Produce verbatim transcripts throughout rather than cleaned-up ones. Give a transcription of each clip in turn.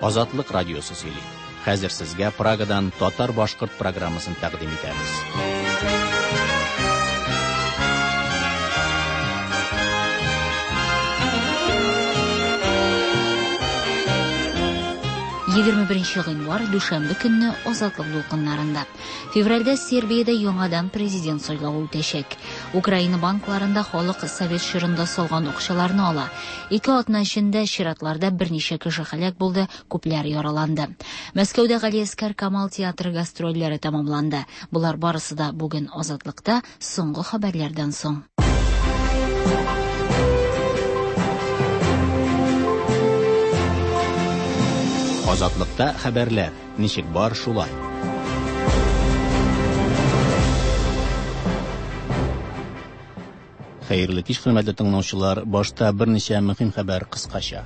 Азатлык радиосы сөйли. Хәзер сезгә Прагадан татар-башкорт программасын тәкъдим итәбез. Егерме беренче гыйнвар, дүшәмбе көнне Азатлык дулкыннарында. Февральдә Сербиядә яңадан президент сайлавы үтәчәк. Украина банкларында халык совет чорында салган акчаларны ала. Ике атна эчендә чиратларда берничә кеше һәлак булды, күпләр яраланды. Мәскәүдә Галиәсгар Камал театры гастрольләре тәмамланды. Болар барысы да бүген Азатлыкта соңгы хәбәрләрдән соң. Азатлыкта хәбәрләр ничек бар шулай. Хәерле кич, хөрмәтле тыңлаучылар. Башта берничә мөһим хәбәр кыскача.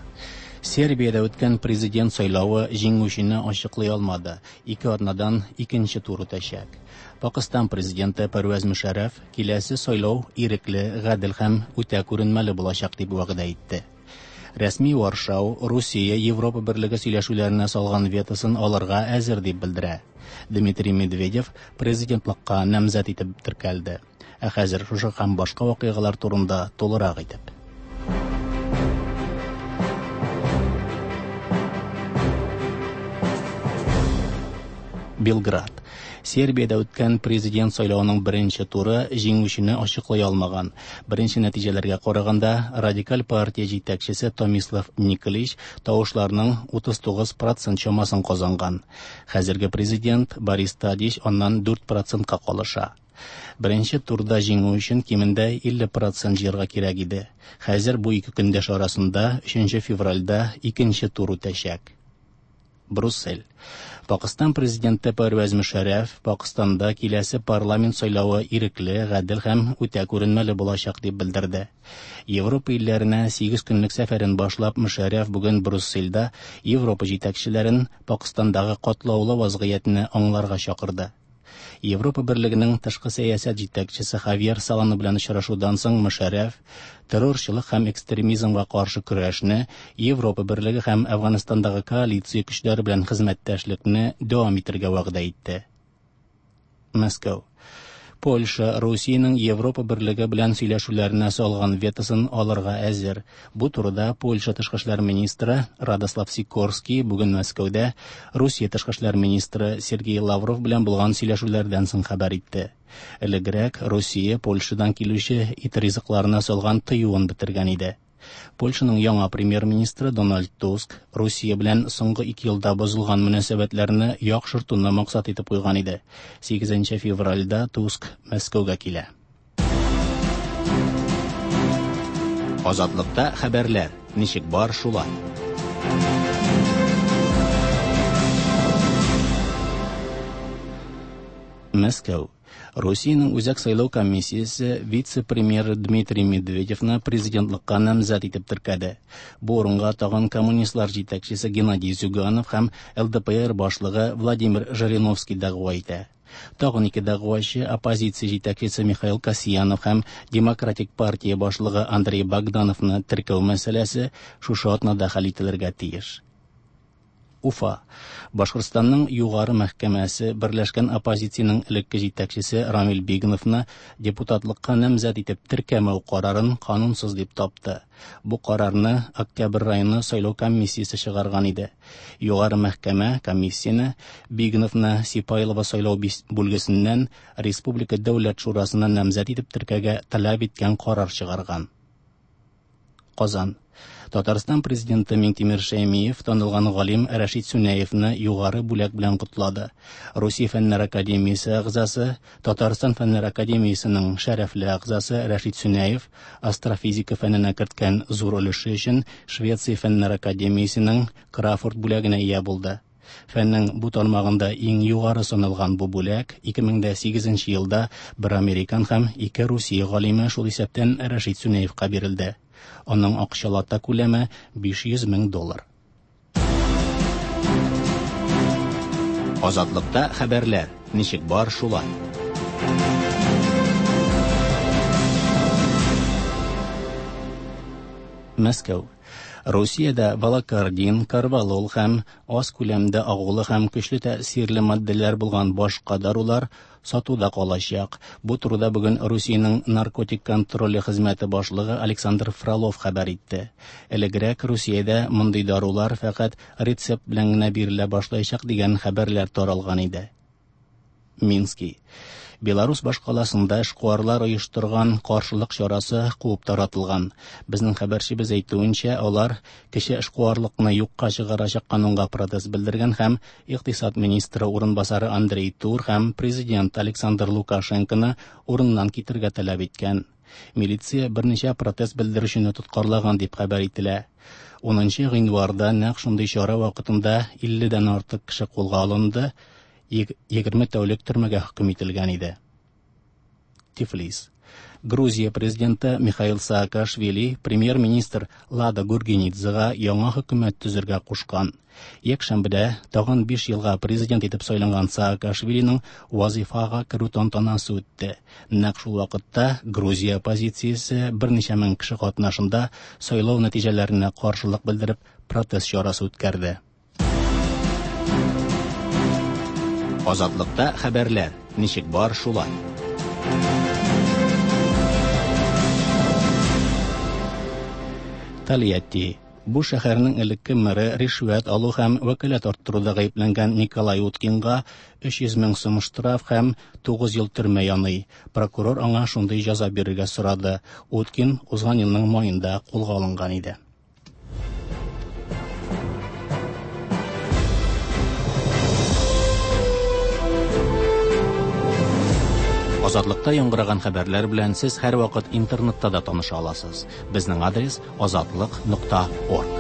Сербиядә үткән президент сайлавы җиңүчене ачыклый алмады. Ике атнадан икенче тур үтәчәк. Пакистан президенты Пәрвәз Мөшәррәф киләсе сайлау ирекле, гадел һәм үтә күренмәле булачак дип вәгъдә итте. Рәсми Варшау Русия Европа берлеге сөйләшүләренә салган ветосын алырга әзер дип белдерә. Дмитрий Медведев президентлыкка намзәт итеп теркәлде. Ә хәзер шушы һәм башка вакыйгалар турында тулырак итеп. Белград. Сербиядә үткән президент сайлавының беренче туры җиңүчене ачыклый алмаган. Беренче нәтиҗәләргә караганда, радикаль партия җитәкчесе Томислав Николич тавышларның утыз тугыз процент чамасын казанган. Хәзерге президент Борис Тадич аннан дүрт процентка калыша. Беренче турда җиңү өчен кимендә илле процент җыярга кирәк иде. Хәзер бу ике көндәш арасында өченче февральдә икенче тур үтәчәк. Брюссель. Пакистан президенты Пәрвәз Мөшәррәф Пакистанда киләсе парламент сайлавы ирекле, гадел һәм үтә күренмәле булачак дип белдерде. Европа илләренә сигез көнлек сәфәрен башлап Мөшәррәф бүген Брюссельдә Европа җитәкчеләрен Пакистандагы катлаулы вазгыятьне аңларга чакырды. Европа берлегенең тышкы сәясәт җитәкчесе Хавьер Солана белән очрашудан соң Мөшәррәф террорчылык һәм экстремизмга каршы көрәшне Европа берлеге һәм Әфганстандагы коалиция көчләре белән хезмәттәшлекне дәвам итәргә вәгъдә итте. Мәскәү. Польша Русиянең Европа берлеге белән сөйләшүләренә салган ветосын алырга әзер. Бу турыда Польша тышкы эшләр министры Радослав Сикорский бүген Мәскәүдә Русия тышкы эшләр министры Сергей Лавров белән булган сөйләшүләрдән соң хәбәр итте. Элегрәк Русия Польшадан килүче ит ризыкларына салган тыюын бетергән иде. Польшаның яңа премьер-министры Дональд Туск Русия белән соңгы ике елда бозылган мөнәсәбәтләрне яхшыртуны максат итеп куйган иде. Сигезенче февральдә Туск Мәскәүгә килә. Азатлыкта хәбәрләр ничек бар шулай. Мәскәү. Русиянең Үзәк сайлау комиссиясе вице-премьер Дмитрий Медведевны президентлыкка намзәт итеп теркәде. Бу урынга тагын коммунистлар җитәкчесе Геннадий Зюганов һәм Эл Дэ Пэ Эр башлыгы Владимир Жириновский дәгъва итә. Тагын ике дәгъвачы оппозиция җитәкчесе Михаил Касьянов һәм Демократик партия башлыгы Андрей Богдановны теркәү мәсьәләсе шушы атнада хәл ителергә тиеш. Уфа. Башкортстанның югары мәхкәмәсе берләшкән оппозициянең элекке җитәкчесе Рамил Бигновны депутатлыкка намзәт итеп теркәмәү карарын канунсыз дип тапты. Бу карарны Октябрь районы сайлау комиссиясе чыгарган иде. Югары мәхкәмә комиссияне Бигновны Сипайлово сайлау бүлгесеннән Республика Дәүләт Шурасына намзәт итеп теркәгә таләп иткән карар чыгарган. Казан. Татарстан президенты Миңтимер Шәймиев танылган галим Рәшит Сүнәевне югары бүләк белән котлады. Русия Фәннәр Академиясе әгъзасы, Татарстан Фәннәр Академиясенең шәрәфле әгъзасы Рәшит Сүнәев астрофизика фәненә керткән зур өлеше өчен Швеция Фәннәр Академиясенең Крафорд бүләгенә ия булды. Фәннең бу тармагында иң югары саналган бу бүләк ике мең дә сигезенче елда бер американ һәм ике Русия галиме, шул исәптән Рәшит Сүнәевка бирелде. Аның акчалата күләме биш йөз мең доллар. Азатлыкта хәбәрләр ничек бар шулай. Мәскәү. Русиядә валокардин, карвалол һәм аз күләмдә агулы һәм көчле тәэсирле матдәләр булган башка дарулар сатуда калачак. Бу турыда бүген Русиянең наркотик контроле хезмәте башлыгы Александр Фролов хәбәр итте. Элегрәк Русиядә мондый дарулар фәкать рецепт белән генә бирелә башлаячак дигән хәбәрләр таралган иде. Мински. Беларус башкаласында эшкуарлар оештырган каршылык чарасы куып таратылган. Безнең хәбәрчебез әйтүенчә, алар кече эшкуарлыкны юкка чыгарачак канунга протест белдергән һәм икътисад министры урынбасары Андрей Тур һәм президент Александр Лукашенконы урыннан китергә таләп иткән. Милиция берничә протест белдерүчене тоткарлаган дип хәбәр ителә. Унынчы гыйнварда нәкъ шундый чара вакытында илледән артык кеше кулга алынды, егерме тәүлек төрмәгә хөкем ителгән иде. Тифлис. Грузия президенты Михаил Саакашвили премьер-министр Лада Гургенидзега яңа хөкүмәт төзергә кушкан. Якшәмбедә тагын биш елга президент итеп сайланган Саакашвилиның вазифага керү тантанасы үтте. Нәкъ шул вакытта Грузия оппозициясе берничә мең кеше катнашында сайлау нәтиҗәләренә каршылык белдереп протест чарасы үткәрде. Азатлыкта хәбәрләр ничек бар шулай. Тольятти. Бу шәһәрнең элекке мэры ришвәт алу һәм вәкаләт арттыруда гаепләнгән Николай Уткинга өч йөз мең сум штраф һәм тугыз ел төрмә яный. Прокурор аңа шундый җәза бирергә сорады. Уткин узган елның маенда кулга алынган иде. Азатлыкта яңгыраган хәбәрләр белән сез һәр вакыт интернетта да таныша аласыз. Безнең адрес азатлык нокта орг.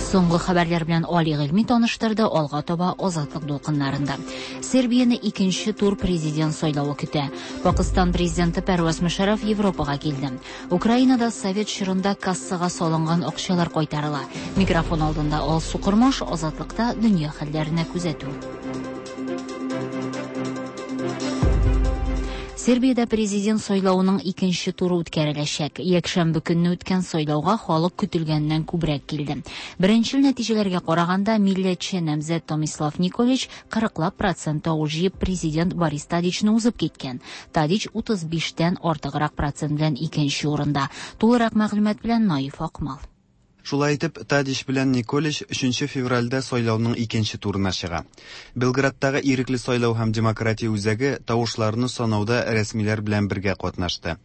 Соңгы хәбәрләр белән Али Гыйльми таныштырды, алга таба Азатлык дулкыннарында. Сербияне икенче тур президент сайлавы көтә. Пакистан президенты Пәрваз Мөшәрәф Европага килде. Украинада совет чорында кассага салынган акчалар кайтарыла. Микрофон алдында Алсу Кормаш, Азатлыкта дөнья хәлләренә күзәтү. Сербиядә президент сайлавының икенче туры үткәреләчәк. Якшәмбе көнне үткән сайлауга халык көтелгәннән күбрәк килде. Беренчел нәтиҗәләргә караганда, милләтче намзәт Томислав Николич кырыклап процент тавыш җыеп президент Борис Тадичны узып киткән. Тадич утыз биштән артыграк процент белән икенче урында. Тулырак мәгълүмат белән Наиф Акмал. Шулай итеп, Тадич белән Николич өченче февральдә сайлауның икенче турына чыга. Белградтагы ирекле сайлау һәм демократия үзәге тавышларны санауда рәсмиләр белән бергә катнашты.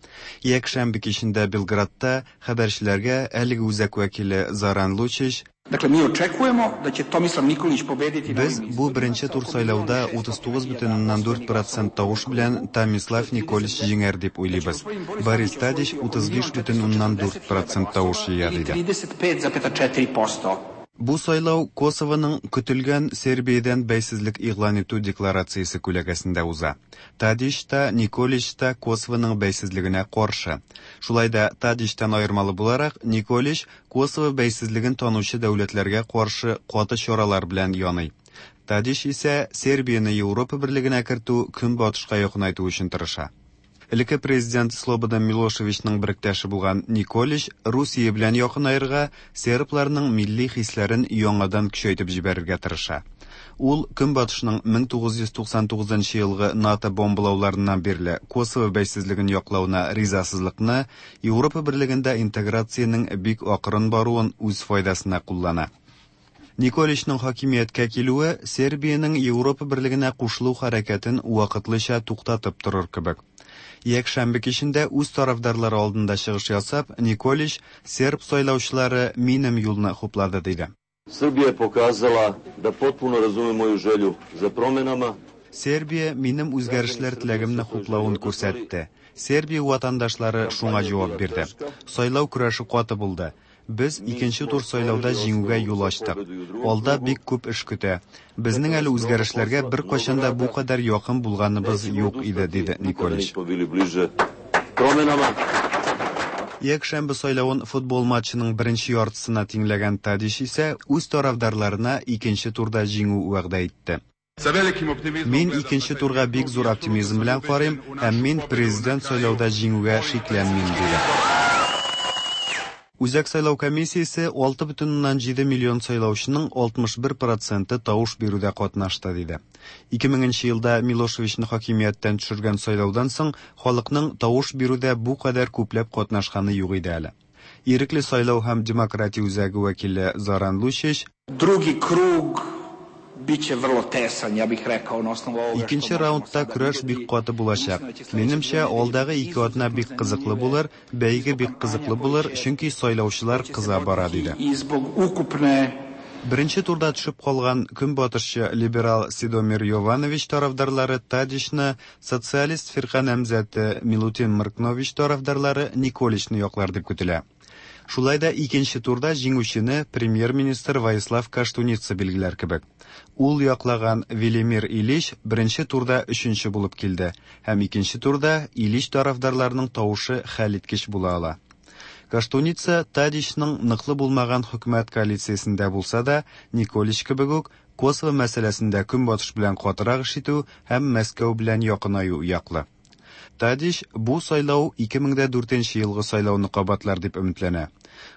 Якшәмбе кичендә Белградта хәбәрчеләргә әлеге үзәк вәкиле Заран Лучич: Dakle, mi očekujemo da će Tomislav Nikolić pobediti Без бу беренче тур сайлауда утыз тугыз бөтен уннан дүрт процент тавыш белән Томислав Николич җиңәр дип уйлыйбыз. Борис Тадич утыз биш бөтен уннан дүрт процент тавыш җыя, диде. Бу сайлау Косовоның көтелгән Сербиядән бәйсезлек игълан итү декларациясе күләгәсендә уза. Тадич та, Николич та Косовоның бәйсезлегенә каршы. Шулай да Тадичтан аермалы буларак, Николич Косово бәйсезлеген танучы дәүләтләргә каршы каты чаралар белән яный. Тадич исә Сербияне Европа берлегенә кертү, көнбатышка якынайту өчен тырыша. Элекке президент Слободан Милошевичның беректәше булган Николич Русия белән якынаерга, сербларның милли хисләрен яңадан көчәйтеп җибәрергә тырыша. Ул Көнбатышның мең тугыз йөз туксан тугызынчы елгы НАТО бомбалауларыннан бирле Косово бәйсезлеген яклауына ризасызлыкны, Европа берлегендә интеграциянең бик акрын баруын үз файдасына куллана. Николичның хакимияткә килүе Сербиянең Европа берлегенә кушылу хәрәкәтен вакытлыча туктатып торыр кебек. Якшәмбе кичендә үз тарафдарлары алдында чыгыш ясап, Николич серб сайлаучылары минем юлны хуплады, диде. Srbija je pokazala da potpuno razume moju želju za promenama. Сербия минем үзгәрешләр теләгемне хуплавын күрсәтте. Сербия ватандашлары шуңа җавап бирде. Сайлау көрәше каты булды. Без икенче тур сайлауда җиңүгә юл ачтык. Алда бик күп эш көтә. Безнең әле үзгәрешләргә бер кайчан да бу кадәр якын булганыбыз юк иде, диде Николич. Якшәмбе сайлавын футбол матчының беренче яртысына тиңләгән Тадич исә үз тарафдарларына икенче турда җиңү вәгъдә итте. Мин икенче турга бик зур оптимизм белән карыйм һәм мин президент сайлауда җиңүгә шикләнмим, диде. Үзәк сайлау комиссиясе алты бөтен уннан җиде миллион сайлаучының алтмыш бер проценты тавыш бирүдә катнашты, диде. Ике меңенче елда Милошевичны хакимияттән төшергән сайлаудан соң халыкның тавыш бирүдә бу кадәр күпләп катнашканы юк иде әле. Ирекле сайлау һәм демократия үзәге вәкиле Зоран Лучич: Други круг biće vrlo tesan, ja bih rekao, na osnovu ovoga što Икенче možemo раундта sada көрәш vidjeti. бик каты булачак. Mislim da će sledeće Минемчә, nedelje алдагы ике izuzetno атна бик кызыклы zanimljive булыр, бәйге бик kampanja кызыклы koja булыр, će чөнки сайлаучылар će se кыза бара, voditi диде. i zbog ukupne Беренче турда төшеп калган көнбатышчы либерал Сидомир Йованович тарафдарлары Тадичны, социалист фирка намзәте Милутин Мркнович тарафдарлары Николичны яклар дип көтелә. Шулай да икенче турда җиңүчене премьер-министр Воислав Каштуница билгеләр кебек. Ул яклаган Велимир Илич беренче турда өченче булып килде һәм икенче турда Илич тарафдарларының тавышы хәлиткеч була ала. Каштуница Тадичның ныклы булмаган хөкүмәт коалициясендә булса да, Николич кебек үк Косово мәсьәләсендә көнбатыш белән катырак эш итү һәм Мәскәү белән якынаю яклы. Тадич бу сайлау ике мең дә дүртенче елгы сайлауны кабатлар дип өметләнә.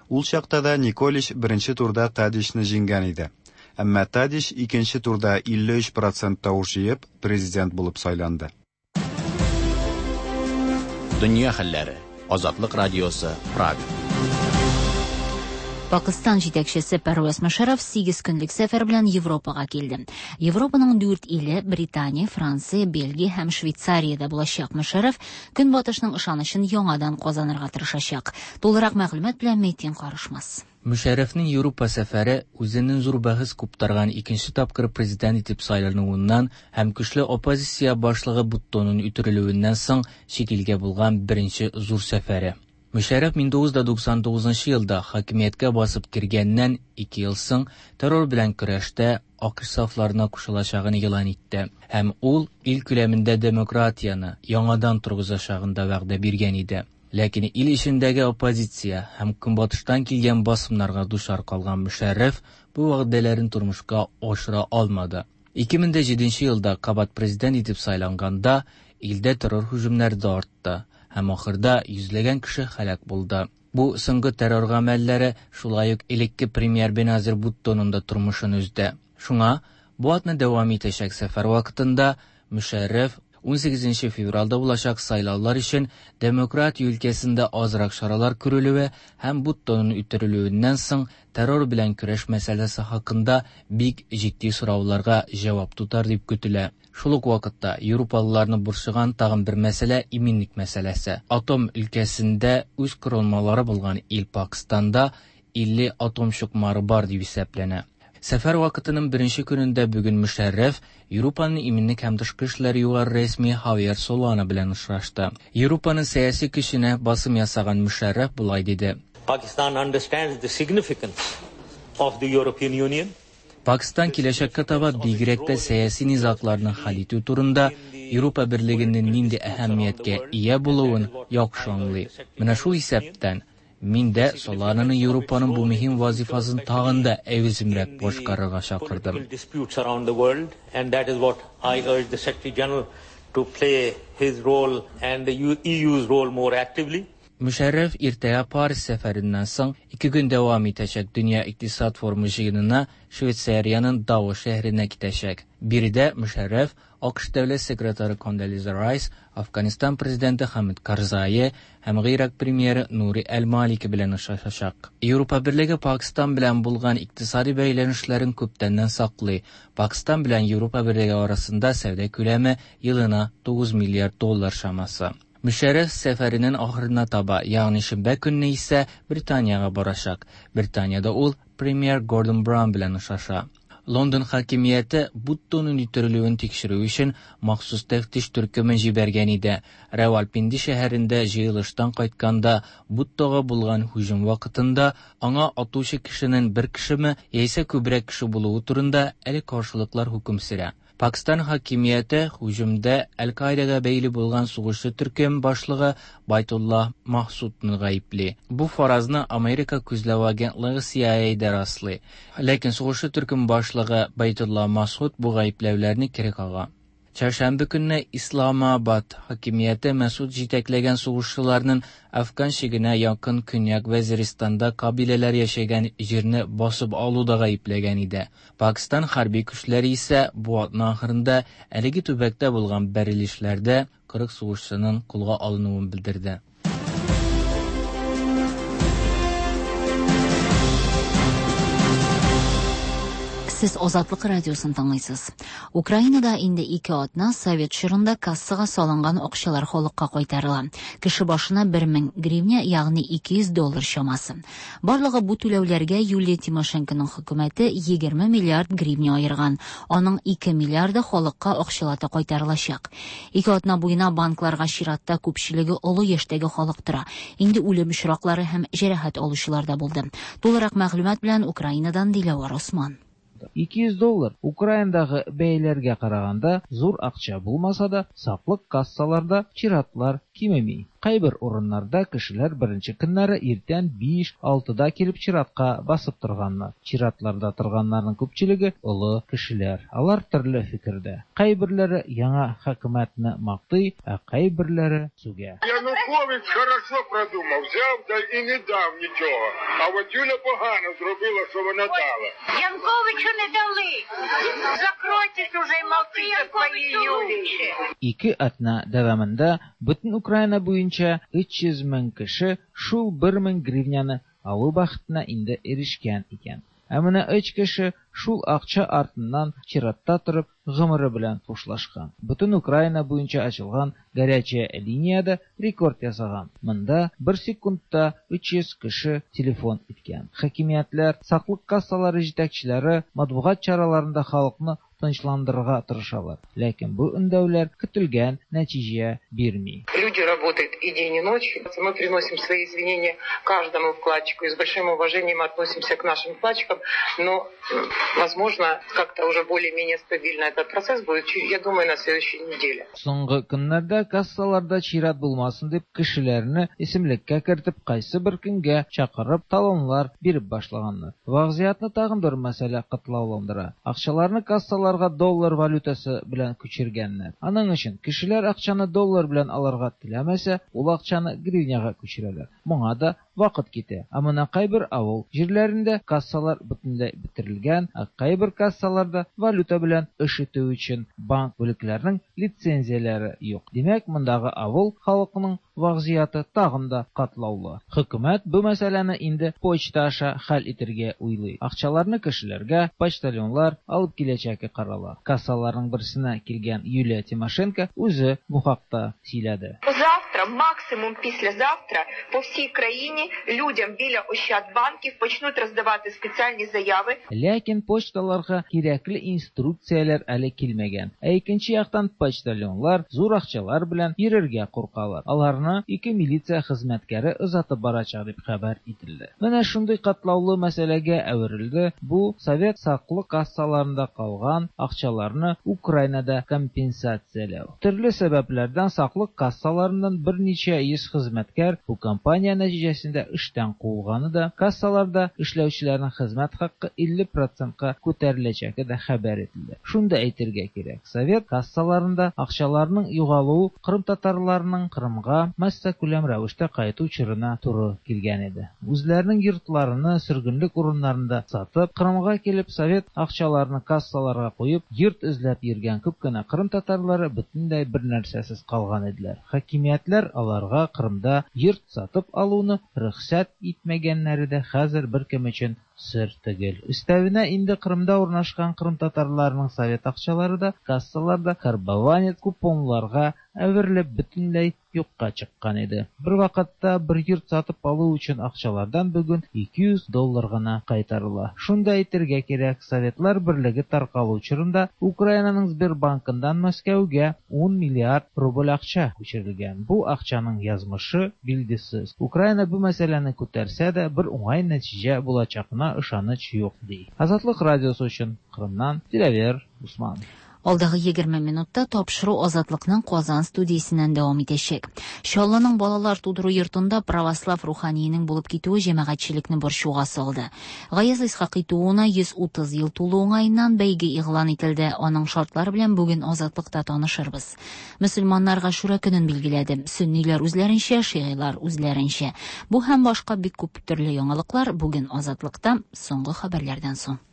Ул чакта да Николич беренче турда Тадичны җиңгән иде. Әмма Тадич икенче турда илле өч процент тавыш җыеп президент булып сайланды. Дөнья хәлләре. Азатлык радиосы, Прага. Пакистан җитәкчесе Первез Мушарраф сигез көнлек сәфәр белән Европага килде. Европаның дүрт иле Британия, Франция, Бельгия һәм Швейцариядә булачак Мушарраф Көнбатышның ышанычын яңадан казанырга тырышачак. Тулырак мәгълүмат белән Метин Карышмас. Мушаррафның Европа сәфәре үзенең зур бәхәс куптарган икенче тапкыр президент итеп сайлануыннан һәм көчле оппозиция башлыгы Буттоның үтерелүеннән соң чит илгә булган беренче зур сәфәре. Мушарраф мең тугыз йөз туксан тугызынчы елда хакимияткә басып кергәннән ике ел соң террор белән көрәштә АКШ сафларына кушылачагын игълан итте һәм ул ил күләмендә демократияне яңадан торгызачагын да вәгъдә биргән иде. Ләкин ил эчендәге оппозиция һәм көнбатыштан килгән басымнарга дучар калган Мушарраф бу вәгъдәләрен тормышка ашыра алмады. Ике мең дә җиденче елда кабат президент итеп сайланганда илдә террор һөҗүмнәре дә артты һәм ахырда йөзләгән кеше һәлак булды. Бу соңгы террор гамәлләре шулай ук элекке премьер Беназир Буттоның да тормышын өзде. Шуңа бу атны дәвам итәчәк сәфәр вакытында Мушарраф унсигезенче февральдә булачак сайлаулар өчен демократия өлкәсендә азрак чаралар күрелүе һәм Буттоның үтерелүеннән соң террор белән көрәш мәсьәләсе хакында бик җитди сорауларга җавап тотар дип көтелә. Шул ук вакытта европалыларны борчыган тагын бер мәсьәлә иминлек мәсьәләсе. Атом өлкәсендә үз корылмалары булган ил Пакистанда илле атом чукмары бар дип исәпләнә. Сәфәр вакытының беренче көнендә бүген Мушарраф Европаның иминлек һәм тышкы эшләр югары рәсми Хавьер Солана белән очрашты. Европаның сәяси көченә басым ясаган Мушарраф болай диде: Pakistan understands the significance of the European Union. Пакистан киләчәккә таба бигрәк тә сәяси низагларны хәл итү турында Европа берлегенең нинди әһәмияткә ия булуын яхшы аңлый. Менә шул исәптән мин дә Солананы Европаның бу мөһим вазифасын тагын да әүземрәк башкарырга чакырдым. Political disputes around the world, and that is what I urge the Secretary General to play his role and the E U's role more actively. Мушарраф иртәгә Париж сәфәреннән соң ике көн дәвам итәчәк Дөнья икътисад форумы җыенына Швейцариянең Давос шәһәренә китәчәк. Биредә Мушарраф АКШ дәүләт секретаре Кондолиза Райс, Афганистан президенты Хамид Карзай һәм Гыйрак премьеры Нури Әл-Малики белән очрашачак. Европа берлеге Пакистан белән булган икътисади бәйләнешләрен күптәннән саклый. Пакистан белән Европа берлеге арасында сәүдә күләме елына тугыз миллиард доллар чамасы. Мушарраф сәфәренең ахырына таба, ягъни шимбә көнне исә Британиягә барачак. Британиядә ул премьер Гордон Браун белән очраша. Лондон хакимияте Буттоның үтерелүен тикшерү өчен махсус тәфтиш төркемен җибәргән иде. Равалпинди шәһәрендә җыелыштан кайтканда Буттога булган һөҗүм вакытында аңа атучы кешенең бер кешеме яисә күбрәк кеше булуы турында әле каршылыклар хөкем сөрә. Пакистан хакимияте һөҗүмдә Әл-Каидаға бәйле булган сугышчы төркем башлыгы Байтулла Махсудны гаепли. Бу фаразны Америка күзләү агентлыгы C I A да раслый. Ләкин сугышчы төркем башлыгы Байтулла Масуд бу гаепләүләрне кире кага. Çarşamba көнне Исламабад хакимияте Мәсуд җитәкләгән сугышчыларның Афган чигенә якын Көньяк Вәзиристанда кабиләләр яшәгән җирне басып алуда гаепләгән иде. Пакистан хәрби көчләре исә бу атна ахырында әлеге төбәктә булган бәрелешләрдә кырык сугышчының кулга алынуын белдерде. Сез Азатлык радиосын тыңлыйсыз. Украинада инде ике атна совет чорында кассага салынган акчалар халыкка кайтарыла. Кеше башына бер мең гривня, ягъни ике йөз доллар чамасы. Барлыгы бу түләүләргә Юлия Тимошенконың хөкүмәте егерме миллиард гривня аерган. Аның ике миллиарды халыкка акчалата кайтарылачак. Ике атна буена банкларга чиратта күпчелеге олы яшьтәге халык тора. Инде үлем очраклары һәм җәрәхәт алучылар да булды. Тулырак мәгълүмат белән Украинадан Диләвар Осман. ике йөз доллар Украинадагы бәяләргә караганда зур акча булмаса да, саклык кассаларда чиратлар кимеми. Кайбер урыннарда кешеләр беренче көннәре иртән биш-алтыда килеп чиратка басып торганнар. Чиратларда торганнарның күпчелеге олы кешеләр. Алар төрле фикердә. Кайберләре яңа хөкүмәтне мактый, ә кайберләре сүгә. Янукович хорошо продумав, взяв да і не дав нічого. А от Юля погано зробила, що вона дала. Януковичу не дали. Закройтесь уже и молчите своей Юлечке. Ике атна дәвамында бөтен Украина буенча өч йөз мең кеше шул бер мең гривняны алу бәхетенә инде ирешкән икән. Ә менә өч кеше шул акча артыннан чиратта торып гомере белән хушлашкан. Бөтен Украина буенча ачылган горячая линиядә рекорд ясаган. Монда бер секундта өч йөз кеше телефон иткән. Хакимиятләр, саклык кассалары җитәкчеләре матбугат чараларында халыкны тынычландырырга тырышалар. Ләкин бу өндәүләр көтелгән нәтиҗә бирми. Люди работают и день, и ночь. Мы приносим свои извинения каждому вкладчику и с большим уважением относимся к нашим вкладчикам, но, возможно, как-то уже более-менее стабильно этот процесс будет, я думаю, на следующей неделе. Соңгы көннәрдә кассаларда чират булмасын дип кешеләрне исемлеккә кертеп, кайсы бер көнгә чакырып талонлар биреп башлаганнар. Вазгыятьне тагын бер мәсьәлә катлауландыра. Акчаларны кассаларга доллар валютасы белән күчергәннәр. Аның өчен кешеләр акчаны доллар белән алырга теләмәсә, ул акчаны гривняга күчерәләр. Моңа да вакыт китә. Ә менә кайбер авыл җирләрендә кассалар бөтенләй бетерелгән, ә кайбер кассаларда валюта белән эш итү өчен банк бүлекләренең лицензияләре юк. Димәк, мондагы авыл халкының вазгыяте тагын да катлаулы. Хөкүмәт бу мәсьәләне инде почта аша хәл итәргә уйлый. Акчаларны кешеләргә почтальонлар алып киләчәге карала. Кассаларның берсенә килгән Юлия Тимошенко үзе бу хакта сөйләде. Завтра, максимум післязавтра, по всій країні людям біля Ощадбанків почнуть роздавати спеціальні заяви. Ләкин почталарга кирәкле инструкцияләр әле килмәгән. Ә икенче яктан почтальонлар зур акчалар белән йөрергә куркалар. Аларны ике милиция хезмәткәре озатып барачак дип хәбәр ителде. Менә шундый катлаулы мәсьәләгә әверелде бу совет саклык кассаларында калган акчаларны Украинада компенсацияләү. Төрле сәбәпләрдән саклык кассаларыннан берничә йөз хезмәткәр бу кампания нәтиҗәсендә эштән куылганы да, кассаларда эшләүчеләрнең хезмәт хакы илле процентка күтәреләчәге дә хәбәр ителде. Шунда әйтергә кирәк, совет кассаларында акчаларның югалуы Кырым татарларының Кырымга массакүләм рәвештә кайту чорына туры килгән иде. Үзләренең йортларını сөргенлек урыннарында сатып, Кырымга килеп совет акчаларны кассаларга куеп, йорт эзләп йөргән күп кенә Кырым татарлары бөтенләй бер нәрсәсез калган иделәр. Хакимиятләр аларга Кырымда йорт сатып алуны рөхсәт итмәгәннәре дә хәзер беркем өчен сер түгел. Өстәвенә инде Кырымда урнашкан Кырым татарларының совет акчалары да кассаларда карбованец купонларга әверелеп бөтенләй юкка чыккан иде. Бер вакытта бер йорт сатып алу өчен акчалардан бүген ике йөз доллар гына кайтарыла. Шунда әйтергә кирәк, Советлар Берлеге таркалу чорында Украинаның Сбербанкыннан Мәскәүгә ун миллиард рубль акча күчерелгән. Бу акчаның язмышы билгесез. Украина бу мәсьәләне күтәрсә дә бер уңай нәтиҗә булачагына ышаныч юк ди. Азатлык радиосы өчен Кырымнан Диләвер Усман. Алдагы егерме минутта тапшыру Азатлыкның Казан студиясеннән дәвам итәчәк. Чаллының балалар тудыру йортында православ руханиенең булып китүе җәмәгатьчелекне борчуга салды. Гаяз Исхакый тууына йөз утыз ел тулу уңаеннан бәйге игълан ителде. Аның шартлары белән бүген Азатлыкта танышырбыз. Мөселманнар Гашура көнен билгеләде. Сөнниләр үзләренчә, шигыйлар үзләренчә. Бу һәм башка бик күп төрле яңалыклар бүген Азатлыкта соңгы хәбәрләрдән соң.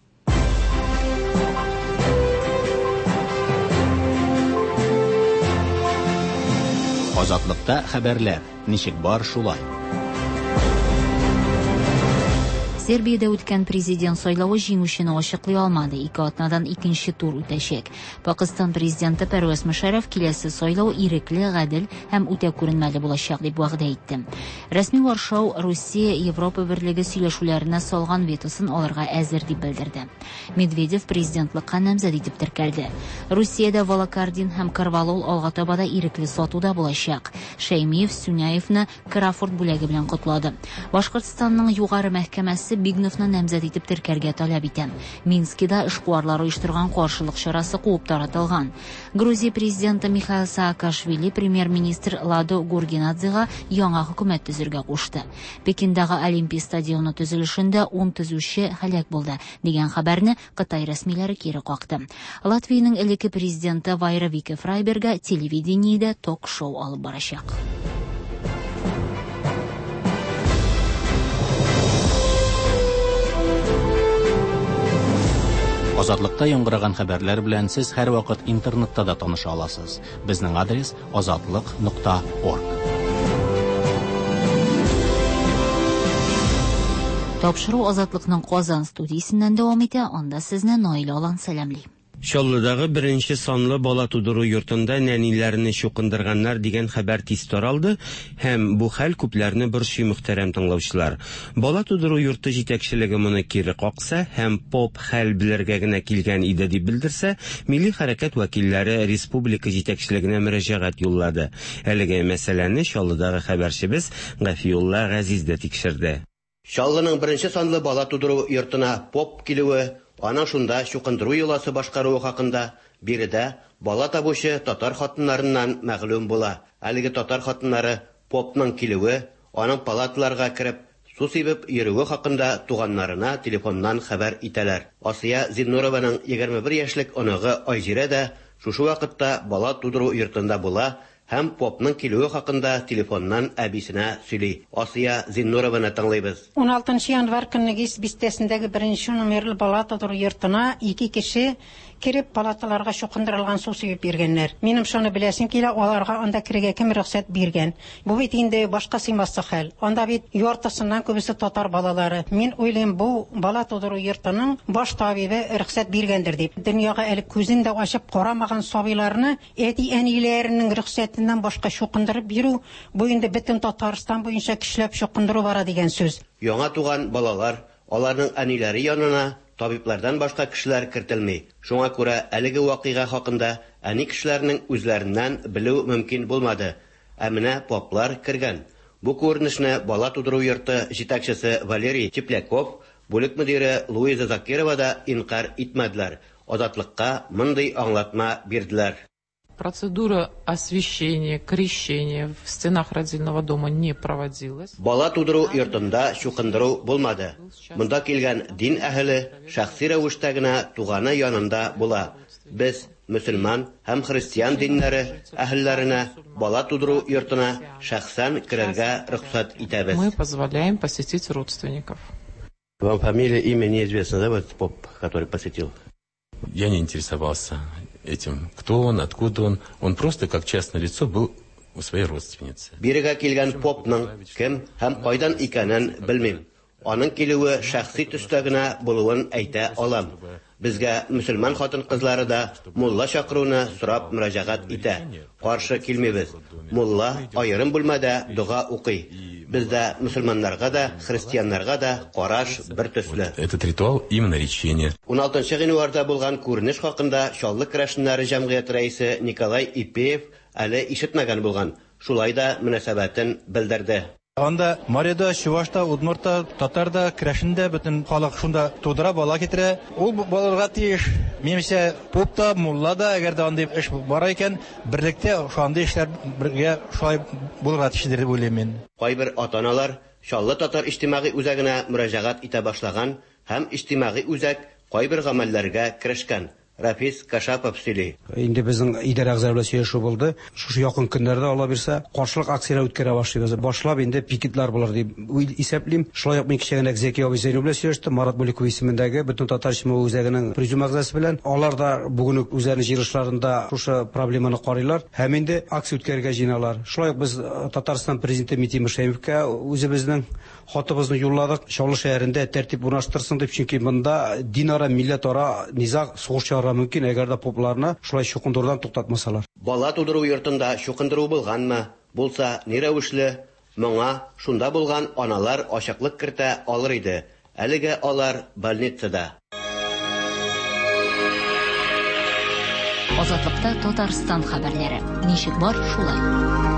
Азатлыкта хәбәрләр ничек бар шулай. Сербиядә үткән президент сайлавы җиңүчене ачыклый алмады. Ике атнадан икенче тур үтәчәк. Пакистан президенты Пәрвәз Мөшәррәф киләсе сайлау ирекле, гадел һәм үтә күренмәле булачак дип вәгъдә итте. Рәсми Варшау Русия Европа берлеге сөйләшүләренә салган ветосын алырга әзер дип белдерде. Медведев президентлыкка намзәт итеп теркәлде. Русиядә Волокардин һәм Карвалол алга таба да ирекле сатуда булачак. Шәймиев Сюняевны Крафорд бүләге белән котлады. Башкортстанның югары мәхкәмәсе Бигновны намзәт итеп теркәргә таләп итә. Минскида эшкуарлар оештырган каршылык чарасы куып таратылган. Грузия президенты Михаил Саакашвили премьер-министр Ладо Гургинадзега яңа хөкүмәт төзергә кушты. Пекиндагы Олимпия стадионы төзелешендә ун төзүче һәлак булды дигән хәбәрне Кытай рәсмиләре кире какты. Латвиянең элекке президенты Вайра Вике Фрайберга телевидениедә ток-шоу алып барачак. Азатлыкта яңгыраган хәбәрләр белән сез һәрвакыт интернетта да таныша аласыз. Безнең адрес азатлык нокта орг. Тапшыру Азатлыкның Казан студиясеннән дәвам итә. Анда сезне Наилә Алан сәламли. Чаллыдагы беренче санлы бала тудыру йортында нәниләрне чукындырганнар дигән хәбәр тиз таралды һәм бу хәл күпләрне борчый, мөхтәрәм тыңлаучылар. Бала тудыру йорты җитәкчелеге моны кире какса һәм поп хәл белергә генә килгән иде дип белдерсә, милли хәрәкәт вәкилләре республика җитәкчелегенә мөрәҗәгать юллады. Әлеге мәсьәләне Чаллыдагы хәбәрчебез Гафиулла Газиз дә тикшерде. Чаллының беренче санлы бала тудыру йортына поп килүе, аның шунда чукындыру йоласы башкаруы хакында биредә бала табучы татар хатыннарыннан мәгълүм була. Әлеге татар хатыннары попның килүе, аның палаталарга кереп су сибеп йөрүе хакында туганнарына телефоннан хәбәр итәләр. Асия Зиннурованың егерме бер яшьлек оныгы Айзирә дә шушы вакытта бала тудыру йортында була һәм попның килүе хакында телефоннан әбисенә сөйли. Асия Зиннурованы тыңлыйбыз. ун алтынчы январь көнне Гис бистәсендәге беренче номерлы бала тудыру йортына ике кеше кереп палаталарга чукындырылган су сибеп биргәннәр. Минем шуны беләсем килә, аларга анда керергә кем рөхсәт биргән? Бу бит инде башка сыймаслык хәл. Анда бит яртысыннан күбесе татар балалары. Мин уйлыйм, бу бала тудыру йортының баш табибы рөхсәт биргәндер дип. Дөньяга әле күзен дә ачып карамаган сабыйларны әти-әниләренең рөхсәтеннән башка чукындырып бирү, бу инде бөтен Татарстан буенча көчләп чукындыру бара дигән сүз. Яңа туган балалар, аларның әниләре янына табиблардан башка кешеләр кертелми. Шуңа күрә әлеге вакыйга хакында әни кешеләрнең үзләреннән белү мөмкин булмады. Ә менә поплар кергән. Бу күренешне бала тудыру йорты җитәкчесе Валерий Тепляков, бүлек мөдире Луиза Закирова да инкар итмәделәр. Азатлыкка мондый аңлатма бирделәр. Процедура освящения, крещения в стенах родильного дома не проводилась. Бала тудыру йортында чукындыру булмады. Монда килгән дин әһеле шәхси рәвештә генә туганы янында була. Без мөселман һәм христиан диннәре әһелләренә бала тудыру йортына шәхсән керергә рөхсәт итәбез. Мы позволяем посетить родственников. Вам фамилия, имя неизвестно, да, вот поп, который посетил? Я не интересовался этим, кто он, откуда он. Он просто, как частное лицо, был у своей родственницы. Бирегә килгән попның кем һәм кайдан икәнен белмим. Аның килүе шәхси төстә генә булуын әйтә алам. Безгә мөселман хатын-кызлары да мулла чакыруны сорап мөрәҗәгать итә. Каршы килмибез. Мулла аерым бүлмәдә дога укый. Бездә мөселманнарга да, христианнарга да караш бер төсле. Этот ритуал именно речение. ун алтынчы гыйнварда булган күренеш хакында Чаллы керәшеннәре җәмгыяте рәисе Николай Ипеев әле ишетмәгән булган. Шулай да мөнәсәбәтен белдерде. Анда Марида, Чувашта, Удмуртта, татарда, керәшендә бөтен халык шунда тудыра, бала китерә. Ул булырга тиеш. Минемчә, поп та, мулла да, әгәр дә андый эш бар икән, берлектә шундый эшләр бергә шулай булырга тиештер дип уйлыйм мин. Кайбер ата-аналар Чаллы татар иҗтимагый үзәгенә мөрәҗәгать итә башлаган һәм иҗтимагый үзәк кайбер гамәлләргә керешкән. Рафис Кашапов сөйли. Инде безнең идарә әгъзалары белән сөйләшү булды. Шушы якын көннәрдә, Алла бирсә, каршылык акцияләре үткәрә башлыйбыз. Башлап инде пикетлар булыр дип исәплим. Шулай ук мин кичә генә Зәки абый Зәйнов белән сөйләштем. Марат Бүлеков исемендәге бөтен татар иҗтимагый үзәгенең президиум әгъзасы белән. Алар да бүген үк үзләренең җыелышларында шушы проблеманы карыйлар һәм инде акция үткәрергә җыеналар. Шулай ук без Татарстан президенты Минтимер Шәймиевкә үзебезнең хатыбызны юлладык. Чаллы шәһәрендә тәртип урнаштырсын дип, чөнки монда динара, милләтара низаг, сугыш чыгарга мөмкин, әгәр дә попларны шулай чукындырудан туктатмасалар. Бала тудыру йортында чукындыру булганмы? Булса, ни рәвешле? Моңа шунда булган аналар ачыклык кертә алыр иде. Әлегә алар больницада. Азатлыкта Татарстан хәбәрләре. Ничек бар, шулай.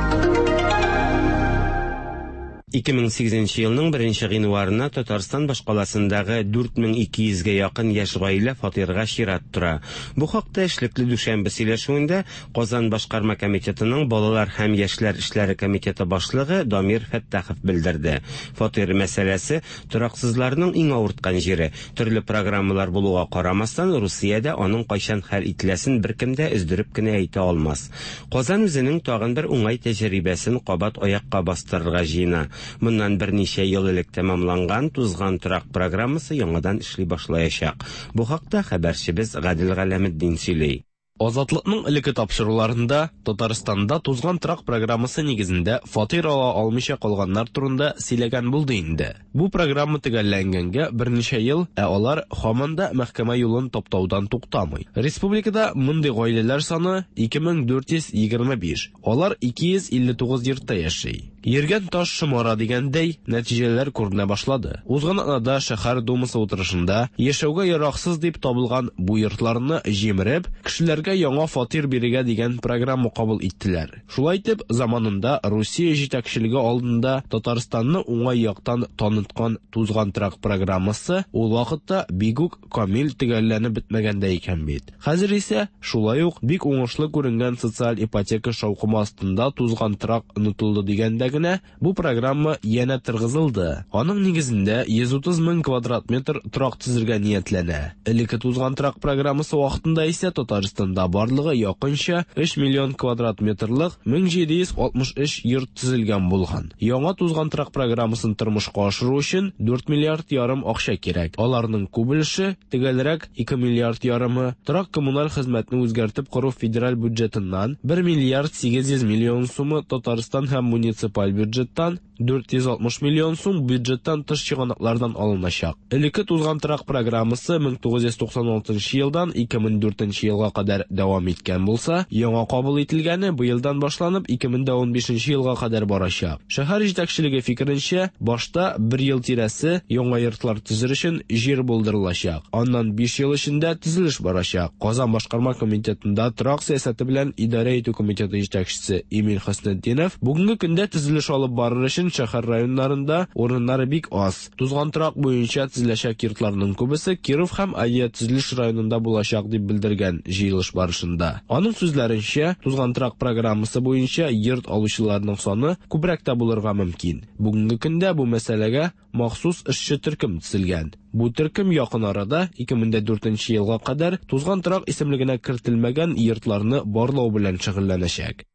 ике мең сигезенче елның беренче гыйнварына Татарстан башкаласындагы дүрт мең ике йөзгә якын яшь гаилә фатирга чират тора. Бу хакта эшлекле дүшәмбе сөйләшүендә Казан башкарма комитетының балалар һәм яшьләр эшләре комитеты башлыгы Дамир Фәттахов белдерде. Фатир мәсьәләсе тораксызларның иң авырткан җире. Төрле программалар булуга карамастан, Русиядә аның кайчан хәл ителәсен беркем дә өздереп кенә әйтә алмас. Казан үзенең тагын бер уңай тәҗрибәсен кабат аякка бастырырга җыена. Моннан берничә ел элек тәмамланган тузган торак программасы яңадан эшли башлаячак. Бу хакта хәбәрчебез Гадел Галәметдин сөйли. Азатлыкның элекке тапшыруларында Татарстанда тузган торак программасы нигезендә фатир ала алмыйча калганнар турында сөйләгән булды инде. Бу программа төгәлләнгәнгә берничә ел, ә алар һаман да мәхкәмә юлын таптаудан туктамый. Республикада мондый гаиләләр саны ике мең дүрт йөз егерме биш. Алар ике йөз илле тугыз йортта яши. Йөргән таш шомара дигәндәй, нәтиҗәләр күренә башлады. Узган атнада шәһәр думасы утырышында яшәүгә яраксыз дип табылган бу йортларны җимереп, кешеләргә яңа фатир бирергә дигән программа кабул иттеләр. Шулай итеп, заманында Русия җитәкчелеге алдында Татарстанны уңай яктан таныткан тузган торак программасы ул вакытта бик үк камил төгәлләнеп бетмәгән дә икән бит. Хәзер исә шулай ук бик уңышлы күренгән социаль ипотека шаукымы астында тузган торак онытылды дигәндә генә бу программа янә торгызылды. Аның нигезендә йөз утыз мең квадрат метр торак төзергә ниятләнә. Элекке тузган торак программасы вакытында исә Татарстанда барлыгы якынча өч миллион квадрат метрлык мең җиде йөз алтмыш өч йорт төзелгән булган. Яңа тузган торак программасын тормышка ашыру өчен дүрт миллиард ярым акча кирәк. Аларның күп өлеше, төгәлрәк ике миллиард ярымы, торак коммуналь хезмәтне үзгәртеп кору федераль бюджетыннан бер миллиард сигез йөз миллион сумы Татарстан һәм муниципаль бюджеттан дүрт йөз алтмыш миллион сум бюджеттан тыш чыганаклардан алыначак. Элекке тузган торак программасы мең тугыз йөз туксан алтынчы елдан ике мең дүртенче елга кадәр дәвам иткән булса, яңа кабул ителгәне быелдан башланып ике мең унбишенче елга кадәр барачак. Шәһәр җитәкчелеге фикеренчә, башта бер ел тирәсе яңа йортлар төзер өчен җир булдырылачак. Аннан биш ел эчендә төзелеш барачак. Казан башкарма комитетында торак сәясәте белән идарә итү комитеты җитәкчесе Эмиль Хөснетдинов бүгенге көндә төзелеш алып барыр өчен шәһәр районнарында урыннары бик аз. Тузган торак буенча төзеләчәк йортларның күбесе Киров һәм Авиатөзелеш районында булачак дип белдергән җыелыш барышында. Аның сүзләренчә, тузган торак программасы буенча йорт алучыларның саны күбрәк тә булырга мөмкин. Бүгенге көндә бу мәсьәләгә махсус эшче төркем төзелгән. Бу төркем якын арада ике мең дүртенче елга кадәр тузган торак исемлегенә кертелмәгән йортларны барлау белән шөгыльләнәчәк.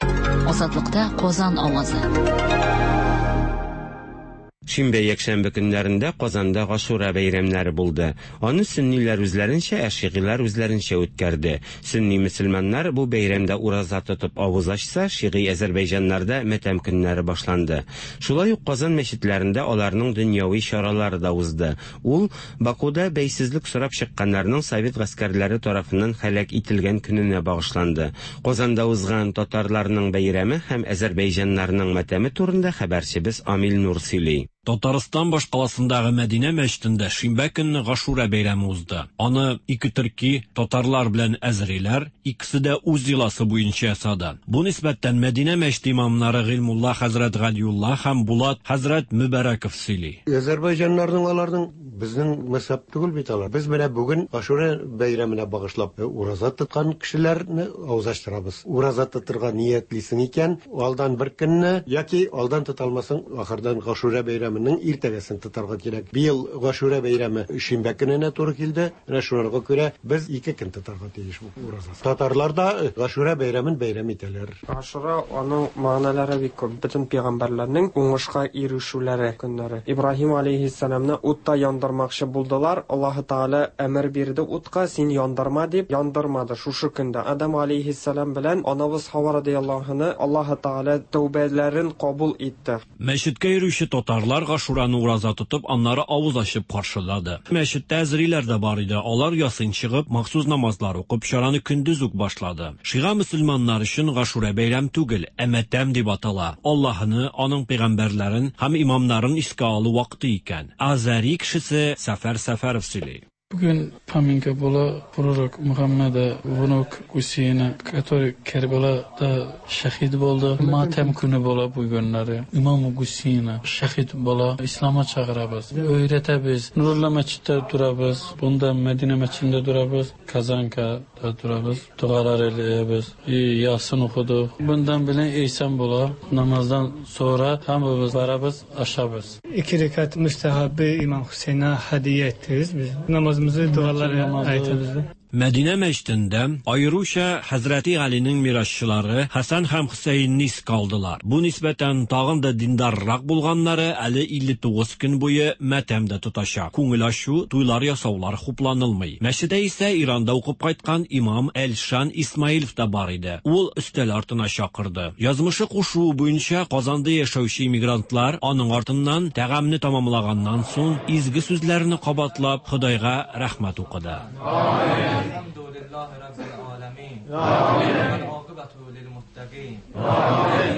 Азатлыкта Казан авазы. Шимбә якшәмбе көннәрендә Казанда Гашура бәйрәмнәре булды. Аны сөнниләр үзләренчә, ә шигыйлар үзләренчә үткәрде. Сөнни мөселманнар бу бәйрәмдә ураза тотып авыз ачса, шигый әзербайҗаннарда мәтәм көннәре башланды. Шулай ук Казан мәчетләрендә аларның дөньяви чаралары да узды. Ул Бакуда бәйсезлек сорап чыкканнарның совет гаскәрләре тарафыннан һәлак ителгән көненә багышланды. Казанда узган татарларның бәйрәме һәм әзербайҗаннарның мәтәме турында хәбәрчебез Амил Нур сөйли. Татарстан башкаласындагы Мәдинә мәчетендә шимбә көнне Гашура бәйрәме узды. Аны ике төрки татарлар белән әзериләр, икесе дә үз йоласы буенча ясады. Бу нисбәттән Мәдинә мәчете имамнары Гыйльмулла хәзрәт Галиулла һәм Булат хәзрәт Мөбәрәков сөйли. Азәрбайҗаннарның аларның безнең мәзһәб түгел бит алар. Без менә бүген Гашура бәйрәменә багышлап ураза тоткан кешеләрне авыз ачтырабыз. Ураза тотырга ниятлисең икән, алдан бер көнне яки алдан тота алмасаң, ахырдан Гашура бәйрәме иртәгәсен тотарга кирәк. Быел Гашура бәйрәме шимбә көненә туры килде. Менә шуңарга күрә без ике көн тотарга тиеш бу ураза. Татарлар да Гашура бәйрәмен бәйрәм итәләр. Гашура аның мәгънәләре бик күп. Бөтен пәйгамбәрләрнең уңышка ирешүләре көннәре. Ибраһим алейһиссәламны утта яндырмакчы булдылар. Аллаһ Тәгалә әмер бирде утка, син яндырма дип, яндырмады шушы көндә. Адам алейһиссәлам белән анабыз Хава радияллаһу анһа Аллаһ Тәгалә тәүбәләрен кабул итте. Мәчеткә йөрүче татарлар Гашураны ураза тотып, аннары авыз ачып каршылады. Мәчеттә әзериләр дә бар иде. Алар ясын чыгып, махсус намазлар укып, чараны көндез үк башлады. Шига мөселманнар өчен Гашура бәйрәм түгел, ә мәтәм дип атала. Аллаһны, аның пәйгамбәрләрен һәм имамнарын искә алу вакыты икән. Азәри кешесе Сәфәр Сәфәров сөйли. Bugün поминка была пророк Мухаммеда, внук Гусейна, который Кербелада şehit oldu. Matem günü bola bu günleri. İmam Hüseyin'e şehit bola. İslam'a çağırabız, öğretebiz. Nurullah Mescid'de durabız. Bunda Medine Mescid'inde durabız. Kazanka'da durabız. Dualar eləyəbiz. Yasin okuduk. Bundan bile İhsan bola. Namazdan sonra hamımız varabız, aşabız. İki rekat müstehabı İmam Hüseyin'e hediye ettiriz biz. Namazımızı dualar aytamiz. Мәдинә мәчетендә аеруча Хәзрәти Галинең мирасчылары Хәсән һәм Хөсәенне искә алдылар. Бу нисбәтән тагын да диндаррак булганнары әле илле тугыз көн буе мәтәмдә тотачак. Күңел ачу, туйлар ясаулар хупланылмый. Мәчеттә исә Иранда укып кайткан имам Элшан Исмаилов та бар иде. Ул өстәл артына чакырды. Язмышы кушуы буенча Казанда яшәүче иммигрантлар аның артыннан тәгамне тамамлаганнан соң изге сүзләрне кабатлап Ходайга рәхмәт укыды.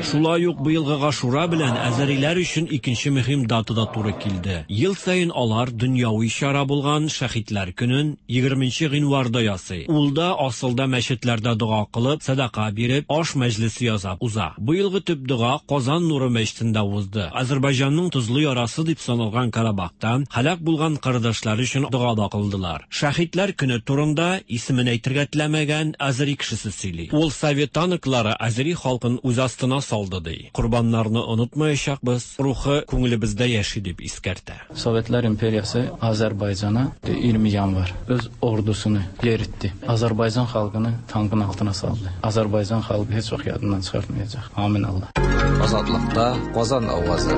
Шулай ук быелгы Гашура белән әзәриләр өчен икенче мөһим дата да туры килде. Ел саен алар дөньяви чара булган Шәһидләр көнен егерменче гыйнварда ясый. Ул да асылда мәчетләрдә дога кылып, садака биреп, аш мәҗлесе ясап уза. Быелгы төп дога Казан Нуры мәчетендә узды. Азәрбайҗанның тозлы ярасы дип саналган Карабахтан һәлак булган кардәшләр өчен дога да кылдылар. Шәһидләр көне турында исемен әйтергә теләмәгән әзәри кешесе сөйли. Ул совет танклары әзәри халкын үз астына салды ди. Корбаннарны онытмаячакбыз, рухы күңелебездә яши дип искәртә. Sovetlər İmperiyası Azərbaycana iyirmi yanvar öz ordusunu yeritdi. Azərbaycan xalqını tankın altına saldı. Azərbaycan xalqı heç vaxt yadından çıxartmayacaq. Amin Allah. Азатлыкта Казан авазы.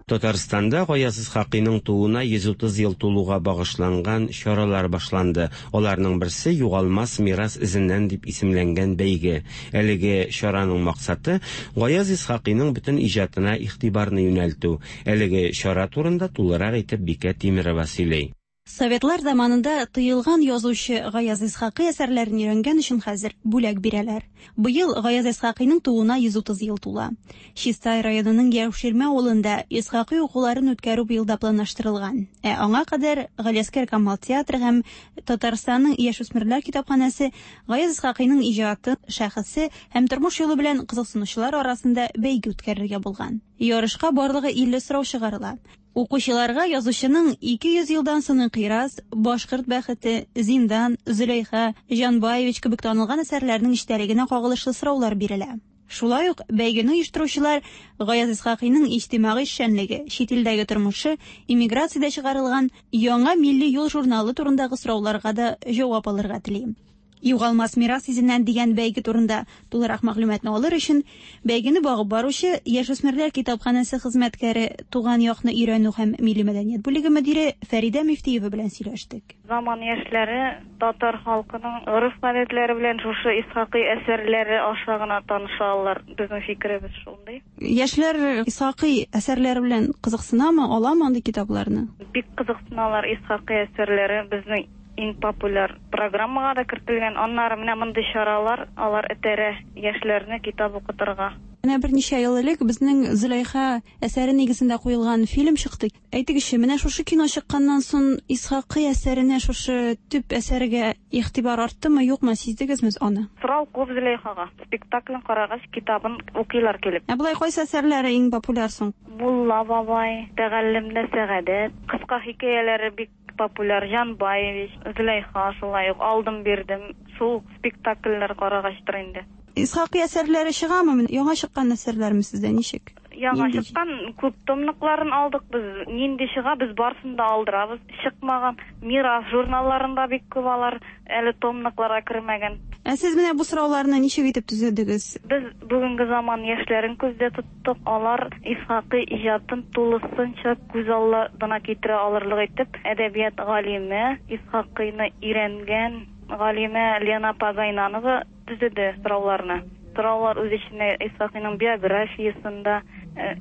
Татарстанда Гаяз Исхакыйның тууына йөз утыз ел тулуга багышланган чаралар башланды. Аларның берсе Югалмас мирас эзеннән дип исемләнгән бәйге. Әлеге чараның максаты Гаяз Исхакыйның бөтен иҗатына игътибарны юнәлтү. Әлеге чара турында тулырак итеп Бикә Тимирова сөйли. Советлар заманында тыелган язучы Гаяз Исхакый әсәрләрен өйрәнгән өчен хәзер бүләк бирәләр. Быел Гаяз Исхакыйның тууына йөз утыз ел тула. Чистай районының Яуширмә авылында Исхакый укуларын үткәрү быелда планлаштырылган. Ә аңа кадәр Галиәсгар Камал театры һәм Татарстанның яшүсмерләр китапханәсе Гаяз Исхакыйның иҗаты, шәхесе һәм тормыш юлы белән кызыксынучылар арасында бәйге үткәрергә булган. Ярышка барлыгы илле сорау чыгарыла. Укучыларга язучының ике йөз елдан соң инкыйраз, Башкорт бәхете, Зиндан, Зөләйха, Җанбаевич кебек танылган әсәрләрнең эчтәлегенә кагылышлы сораулар бирелә. Шулай ук бәйгене оештыручылар Гаяз Исхакыйның иҗтимагый эшчәнлеге, чит илдәге тормышы, иммиграциядә чыгарылган Яңа милли юл журналы турындагы сорауларга да җавап алырга тели. Югалмас мирас изеннән дигән бәйге турында тулырак мәгълүматны алыр өчен бәйгене багып баручы Яшүсмерләр китапханәсе хезмәткәре, туган якны өйрәнү һәм милли мәдәният бүлеге мөдире Фәридә Мифтиева белән сөйләштек. Заман яшьләре татар халкының гореф-гадәтләре белән шушы Исхакый әсәрләре аша гына таныша алар. Безнең фикеребез шундый. Яшьләр Исхакый әсәрләре белән кызыксынамы, аламы андый китапларны? Бик кызыксыналар. Исхакый әсәрләре безнең иң популяр программага да кертелгән. Аннары менә мондый чаралар, алар этәрә яшьләрне китап укытырга. Менә берничә ел элек безнең Зөләйха әсәре нигезендә куелган фильм чыкты. Әйтегезче, менә шушы кино чыкканнан соң Исхакый әсәренә, шушы төп әсәргә игътибар арттымы, юкмы, сиздегезме аны? Сорау күп Зөләйхага. Спектаклен карагач, китабын укыйлар килеп. Ә болай кайсы әсәрләре иң популяр соң? Мулла бабай, Тәгаллемдә сәгадәт, кыска хикәяләре бик популяр, Җан Баевич, Зөләйха шулай ук, Алдым бирдем. Шул спектакльләр карагачтыр инде. Исхакый әсәрләре чыгамы? Яңа чыккан әсәрләрме сездә ничек? Яңа Нинди? чыккан күп томлыкларын алдык без. Нинди чыга, без барысын да алдырабыз. Чыкмаган Мирас журналларында бик күп алар, әле томлыкларга кермәгән. Ә сез менә бу сорауларны ничек итеп төзедегез? Без бүгенге заман яшьләрен күздә тоттык. Алар Исхакый иҗатын тулысынча күз алдына китерә алырлык итеп, әдәбият галиме, Исхакыйны өйрәнгән галимә Лена Пагайнанова төзеде сорауларны. Сораулар үз эченә Исхакыйның биографиясында,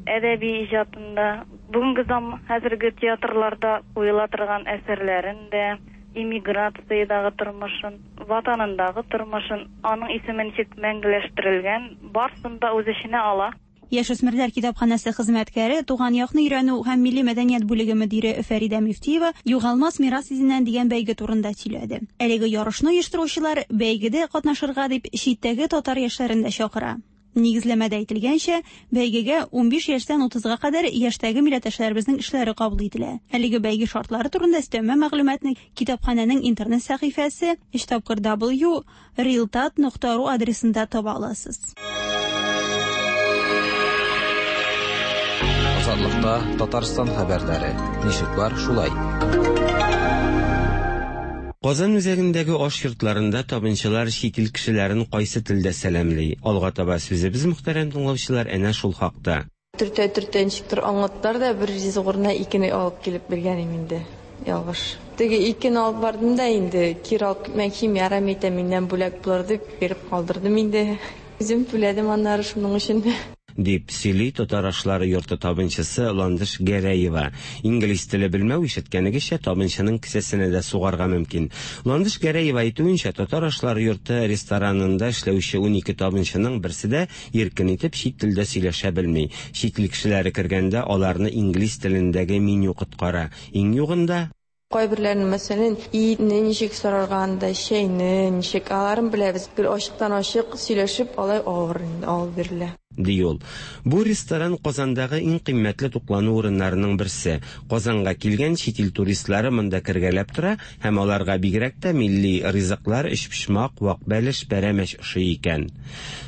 әдәби иҗатында, бүгенге заман хәзерге театрларда куела торган әсәрләрен дә, иммиграциядагы тормышын, ватанындагы тормышын, аның исеме ничек мәңгеләштерелгән, барысын да үз эченә ала. Яшүсмерләр китапханәсе хезмәткәре, туган якны өйрәнү һәм милли мәдәният бүлеге мөдире Фәридә Мифтиева Югалмас мирас изеннән дигән бәйге турында сөйләде. Әлеге ярышны оештыручылар бәйгедә катнашырга дип читтәге татар яшьләрен дә чакыра. Нигезләмәдә әйтелгәнчә, бәйгегә унбиш яшьтән утызга кадәр яшьтәге милләттәшләребезнең эшләре кабул ителә. Әлеге бәйге шартлары турында өстәмә мәгълүматны китапханәнең интернет сәхифәсе өч тапкыр w realtat нокта ру адресында таба аласыз. Азатлыкта Татарстан хәбәрләре. Ничек бар, шулай. Казан үзәгендәге аш йортларында табынчылар чит ил кешеләрен кайсы телдә сәламли? Алга таба сүзебез, мөхтәрәм тыңлаучылар, әнә шул хакта. Төртә-төртә ничектер аңлаттылар да, бер ризык урынына икене алып килеп биргән идем инде. Ялгыш. Теге икене алып бардым да инде, кире алып китмәкче, ярам итә, миннән бүләк булыр дип биреп калдырдым инде. Үзем түләдем аннары шуның өчен. Дип сөйли татар ашлары йорты табынчысы Ландыш Гәрәева. Инглиз теле белмәү, ишеткәнегезчә, табынчының кесәсенә дә сугарга мөмкин. Ландыш Гәрәева әйтүенчә, татар ашлары йорты ресторанында эшләүче унике табынчының берсе дә иркен итеп чит телдә сөйләшә белми. Чит ил кешеләре кергәндә аларны инглиз телендәге меню коткара. Иң югында Кайберләрен, мәсәлән, итне ничек сорарга анда, чәйне ничек, аларын беләбез. Гел ачыктан ачык сөйләшеп, алай авыр инде, алып бирелә. Ди ул. Бу ресторан Казандагы иң кыйммәтле туклану урыннарының берсе. Казанга килгән чит ил туристлары монда кергәләп тора һәм аларга бигрәк тә милли ризыклар, өчпочмак, вак бәлеш, пәрәмәч ошый икән.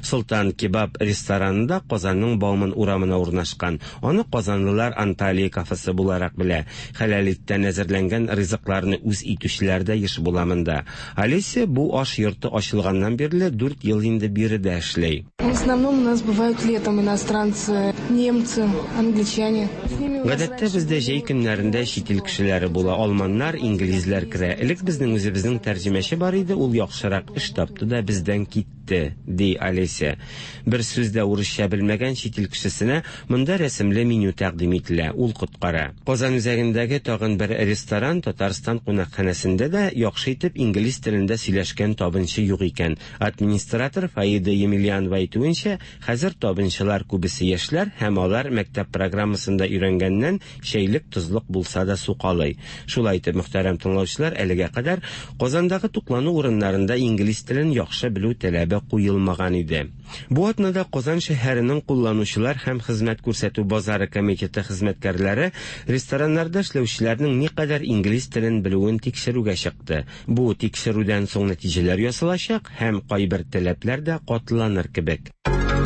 Солтан кебаб рестораны да Казанның Бауман урамына урнашкан. Аны казанлылар Анталия кафесы буларак белә. Хәләл иттән әзерләнгән ризыкларны үз итүчеләр дә еш була монда. Олеся бу аш йорты ачылганнан бирле дүрт ел инде биредә эшли. В основном у нас бывают летом иностранцы, немцы, англичане. С ними у нас Гадәттә бездә җәй көннәрендә чит ил кешеләре була. Алманнар, инглизләр керә. Элек безнең үзебезнең тәрҗемәче бар иде, ул яхшырак эш тапты да бездән китте, ди Олеся. Бер сүз дә урысча белмәгән чит ил кешесенә монда рәсемле меню тәкъдим ителә, ул коткара. Казан үзәгендәге тагын бер ресторан Татарстан кунакханәсендә дә яхшы итеп инглиз телендә сөйләшкән табынчы юк икән. Администратор Фаида Емельянова әйтүенчә, хәзер табынчылар күбесе яшьләр һәм алар мәктәп программасында өйрәнгәннән чәйлек тозлык булса да сукалый. Шулай итеп, мөхтәрәм тыңлаучылар, әлегә кадәр Казандагы туклану урыннарында инглиз телен яхшы белү таләбе куелмаган иде. Бу атнада Казан шәһәренең кулланучылар һәм хезмәт күрсәтү базары комитеты хезмәткәрләре рестораннарда эшләүчеләрнең никадәр инглиз телен белүен тикшерүгә чыкты. Бу тикшерүдән соң нәтиҗәләр ясалачак һәм кайбер таләпләр дә катыланыр кебек.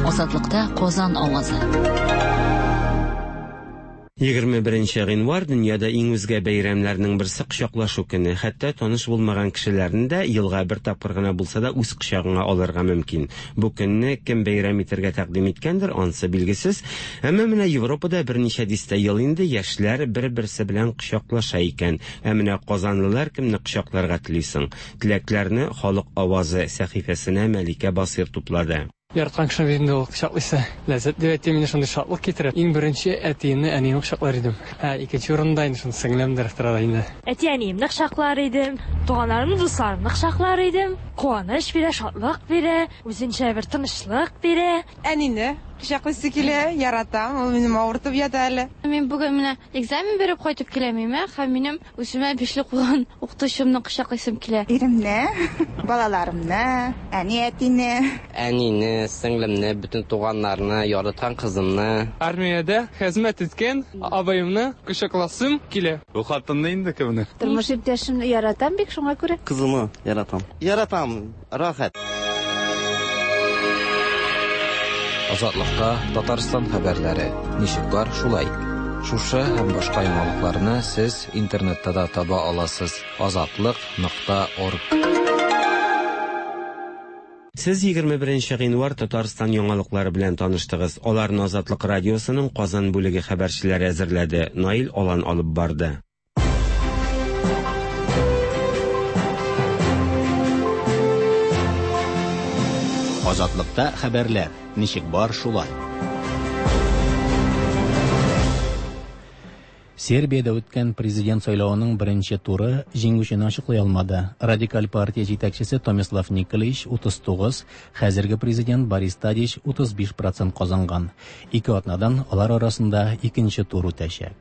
Азатлыкта Казан авазы. Егерме беренче гыйнвар дөньяда иң үзгә бәйрәмнәрнең берсе кочаклашу көне. Хәтта таныш булмаган кешеләрне дә елга бер тапкыр гына булса да үз кочагыңа алырга мөмкин. Бу көнне кем бәйрәм итәргә тәкъдим иткәндер, ансы билгесез. Әмма менә Европада берничә дистә ел инде яшьләр бер-берсе белән кочаклаша икән. Ә менә казанлылар кемне кочакларга тели соң? Теләкләрне Халык авазы сәхифәсенә Мәликә Басир туплады. Яраткан кешене бит инде ул кочаклыйсы. Ләззәт дип әйтәм, инде шундый шатлык китерә. Иң беренче әтиемне, әниемне кочаклар идем. Ә икенче урында инде шундый сеңлемдер тора инде. Әти-әниемне кочаклар идем, туганнарымны, дусларымны кочаклар идем. Куаныч бирә, шатлык бирә, үзенчә бер тынычлык бирә. Әнине, Кочаклыйсы килә, яратам, ул минем авыртып ята әле. Мин бүген менә экзамен биреп кайтып киләм, һәм минем үземә бишле куйган укытучымны кочаклыйсым килә. Иремне, балаларымны, әни-әтине. Әнине, сеңлемне, бөтен туганнарны, яраткан кызымны. Армиядә хезмәт иткән абыемны кочакласым килә. Бу хатынны инде кемне? Тормыш иптәшемне яратам бик, шуңа күрә. Кызымны яратам. Яратам, рәхәт. Азатлыкта Татарстан хәбәрләре. Ничек бар, шулай. Шушы һәм башка яңалыкларны сез интернетта да таба аласыз. Азатлык нокта орг. Сез егерме беренче гыйнвар Татарстан яңалыклары белән таныштыгыз. Аларны Азатлык радиосының Казан бүлеге хәбәрчеләре әзерләде. Наил Алан алып барды. Азатлыкта хәбәрләр. Ничек бар, шулай. Сербиядә үткән президент сайлавының беренче туры җиңүчене ачыклый алмады. Радикаль партия җитәкчесе Томислав Николич утыз тугыз, хәзерге президент Борис Тадич утыз биш процент казанган. Ике атнадан алар арасында икенче тур үтәчәк.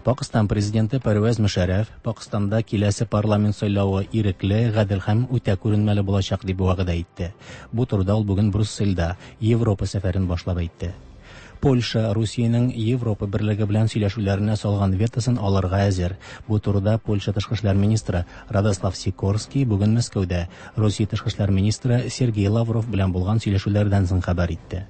Пакистан президенты Пәрвәз Мөшәрәф Пакистанда киләсе парламент сайлавы ирекле, гадел һәм үтә күренмәле булачак дип вәгъдә итте. Бу турыда ул бүген Брюссельдә Европа сәфәрен башлап әйтте. Польша Русиянең Европа берлеге белән сөйләшүләренә салган ветосын алырга әзер. Бу турыда Польша тышкы эшләр министры Радослав Сикорский бүген Мәскәүдә Русия тышкы эшләр министры Сергей Лавров белән булган сөйләшүләрдән соң хәбәр итте.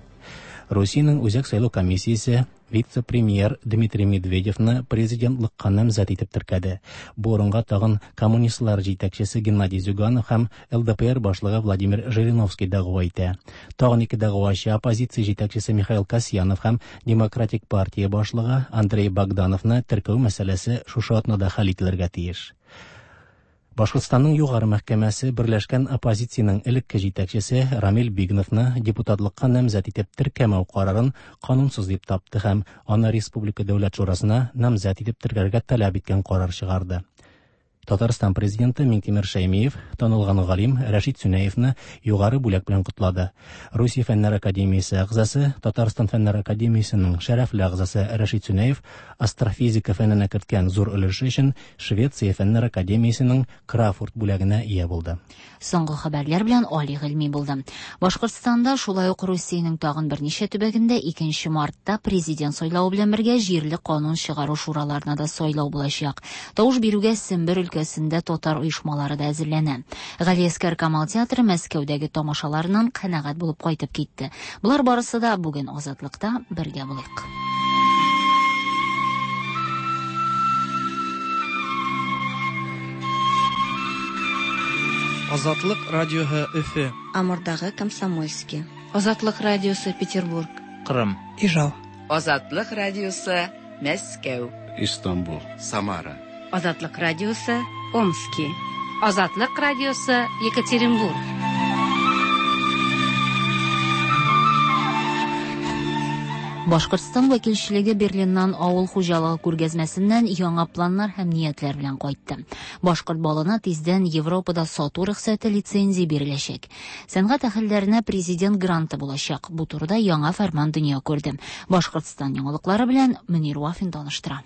Русиянең Үзәк сайлау комиссиясе вице-премьер Дмитрий Медведевны президентлыкка намзәт итеп теркәде. Бу урынга тагын коммунистлар җитәкчесе Геннадий Зюганов һәм Л Д П Р башлыгы Владимир Жириновский дәгъва итә. Тагын ике дәгъвачы оппозиция җитәкчесе Михаил Касьянов һәм Демократик партия башлыгы Андрей Богдановны теркәү мәсьәләсе шушы атнада хәл ителергә тиеш. Башкортстанның югары мәхкәмәсе берләшкән оппозициянең элекке җитәкчесе Рамил Бигновны депутатлыкка намзәт итеп теркәмәү карарын канунсыз дип тапты һәм аны Республика Дәүләт Шурасына намзәт итеп теркәргә таләп иткән карар чыгарды. Татарстан президенты Миңтимер Шәймиев танылган галим Рәшит Сүнәевне югары бүләк белән котлады. Русия Фәннәр академиясе әгъзасы, Татарстан Фәннәр академиясенең шәрәфле әгъзасы Рәшит Сүнәев астрофизика фәненә керткән зур өлеше өчен Швеция Фәннәр академиясенең Крафурт бүләгенә ия булды. Соңгы хәбәрләр белән Али Гыйльми булды. Башкортстанда, шулай ук Русиянең тагын берничә төбәгендә икенче мартта президент сайлавы белән бергә җирле канун чыгару шураларына да сайлау булачак. Тавыш бирүгә Сембер өлкәсендә татар оешмалары да әзерләнә. Галиәскәр Камал театры Мәскәүдәге тамашаларыннан канәгать булып кайтып китте. Болар барысы да бүген Азатлыкта бергә булыйк. Азатлык радиоһы Өфе. Амурдагы Комсомольский. Азатлык радиосы Петербург. Кырым. Ижау. Азатлык радиосы Мәскәү. Истанбул. Самара. Азатлык радиосы Омский. Азатлык радиосы Екатеринбург. Башкортстан вәкилчелеге Берлиннан авыл хуҗалыгы күргәзмәсеннән яңа планнар һәм ниятләр белән кайтты. Башкорт балына тиздән Европада сату рөхсәте лицензия биреләчәк. Сәнгать әһелләренә президент гранты булачак. Бу турыда яңа фәрман дөнья күрде. Башкортстан яңалыклары белән Мөнир Вафин таныштыра.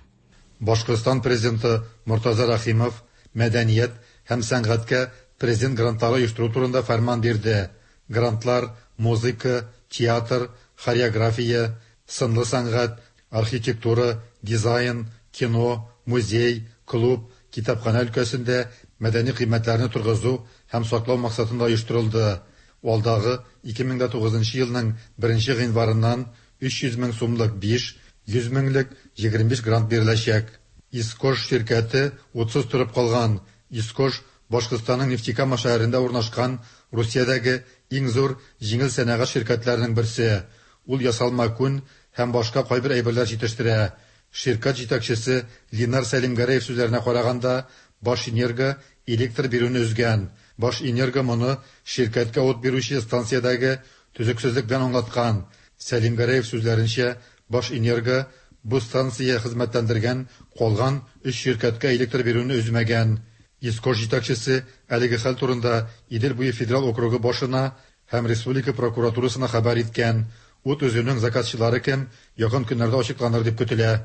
Башкортстан президенты Мортаза Рахимов мәдәният һәм сәнгатькә президент грантлары оештыру турында фәрман бирде. Грантлар музыка, театр, хореография, сынлы сәнгать, архитектура, дизайн, кино, музей, клуб, китапхана өлкәсендә мәдәни кыйммәтләрне торгызу һәм саклау максатында оештырылды. Алдагы ике мең дә тугызынчы елның беренче гыйнварыннан өч йөз мең сумлык биш, йөз меңлек егерме биш грант биреләчәк. Искош ширкәте утсыз торып калган. Искош Башкортстанның Нефтекама шәһәрендә урнашкан Русиядәге иң зур җиңел сәнәгать ширкәтләренең берсе. Ул ясалма күн һәм башка кайбер әйберләр җитештерә. Ширкәт җитәкчесе Ленар Сәлимгәрәев сүзләренә караганда, Башэнерго электр бирүне өзгән. Башэнерго моны ширкәткә ут бирүче станциядәге төзексезлек белән аңлаткан. Сәлимгәрәев сүзләренчә, Башэнерго бу станция хезмәтләндергән калган өч ширкәткә электр бирүне өзмәгән. Искош җитәкчесе әлеге хәл турында Идел буе федераль округы башына һәм республика прокуратурасына хәбәр иткән. Ут өзүнең заказчылары кем, якын көннәрдә ачыкланыр дип көтелә.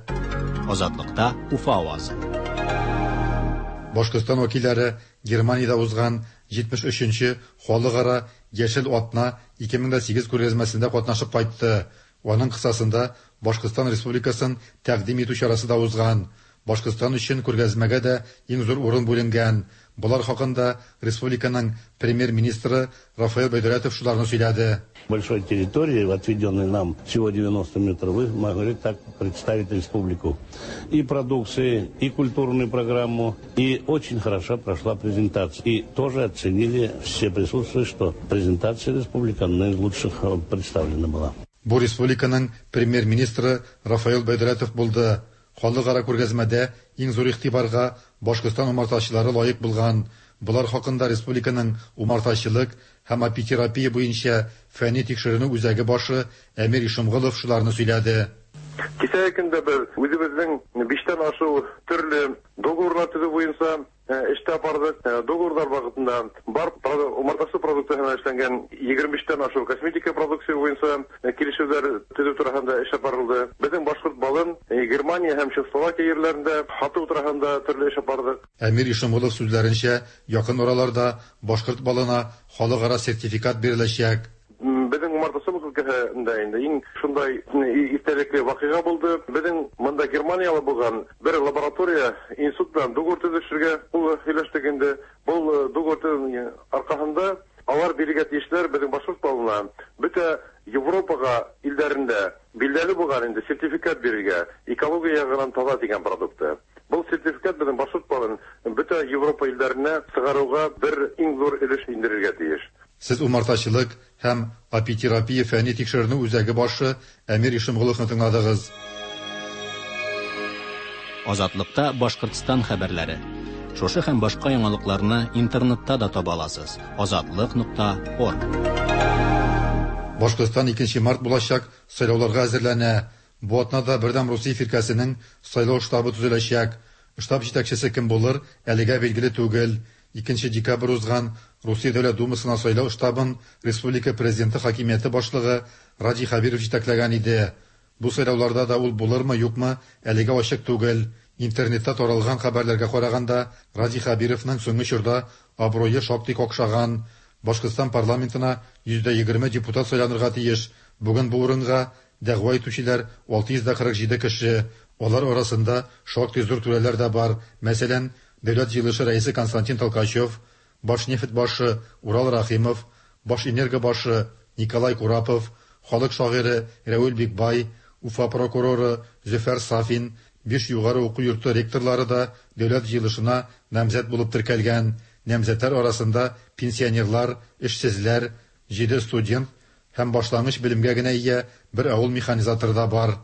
Азатлыкта Уфа авазы. Башкортстан вәкилләре Германиядә узган җитмеш өченче халыкара Яшел атна ике мең дә сигез күргәзмәсендә катнашып кайтты. Аның кысасында Башкортстан Республикасын тәкъдим итү чарасы да узган. Башкортстан өчен күргәзмәгә дә иң зур урын бүленгән. Болар хакында республиканың премьер-министры Рафаэль Байдулятов шуларны сөйләде. Большой территории, отведенной нам всего девяносто метров, вы могли так представить республику. И продукции, и культурную программу, и очень хорошо прошла презентация. И тоже оценили все присутствующие, что презентация республики одна из лучших представлена была. Бу республиканың премьер-министры Рафаэль Байдулятов булды. Халыкара күргәзмәдә иң зур игътибарга Башкортстан умартачылары лаек булган. Болар хакында республиканың умартачылык һәм апитерапия буенча фәнни тикшеренү үзәге башы Әмир Ишемгулов шуларны сөйләде. Кисәге көндә без үзебезнең биштән ашыу төрле договорлар төзү буенча эштә бардык. Договорлар вакытында бар умартасы продукцияһына эшләнгән егерме биштән ашыу косметика продукция буенча килешүләр төзү турында эш барылды. Безнең башкорт балын Германия һәм Чехословакия җирләрендә һату турында төрле эш бардык. Әмир Ишемгулов сүзләренчә, якын араларда башкорт балына халыкара сертификат биреләчәк. Безнең умартачылык өлкәһендә инде иң шундай истәлекле вакыйга булды. Безнең монда Германияле булган бер лаборатория институт белән договор төзешергә кул һөйләштек инде. Бу договор аркасында алар бирергә тиешләр безнең башкорт балына бөтә Европага илдәрендә билгеле булган инде сертификат бирергә экология ягыннан таза дигән продукты. Бу сертификат безнең башкорт балын бөтә Европа илдәренә чыгаруга бер иң зур өлеш индерергә тиеш. Сез умартачылык һәм апитерапия фәнни тикшеренү үзәге башы Әмир Ишемгуловны тыңладыгыз. Азатлыкта Башкортстан хәбәрләре. Шушы һәм башка яңалыкларны интернетта да таба аласыз. Азатлык нокта орг. Башкортстан икенче март булачак сайлауларга әзерләнә. Бу атнада Бердәм Русия фиркәсенең сайлау штабы төзеләчәк. Штаб җитәкчесе кем булыр, әлегә билгеле түгел. Икенче декабрь узган Русия Дәүләт Думасына сайлау штабын республика президенты хакимияте башлыгы Радий Хәбиров җитәкләгән иде. Бу сайлауларда да ул булырмы, юкмы, әлегә ачык түгел. Интернетта таралган хәбәрләргә караганда, Радий Хәбировның соңгы чорда абруе шактый какшаган. Башкортстан парламентына йөз дә егерме депутат сайланырга тиеш. Бүген бу урынга дәгъва итүчеләр алты йөз дә кырык җиде кеше. Алар арасында шактый зур түрәләр дә бар. Мәсәлән, Дәүләт җыелышы рәисе Константин Толкачев, Башнефть башы Урал Рахимов, Башэнерго башы Николай Курапов, халык шагыйре Рәүл Бикбай, Уфа прокуроры Зөфәр Сафин, биш югары уку йорты ректорлары да дәүләт җыелышына намзәт булып теркәлгән. Намзәтләр арасында пенсионерлар, эшсезләр, җиде студент һәм башлангыч белемгә генә ия бер авыл механизаторы да бар.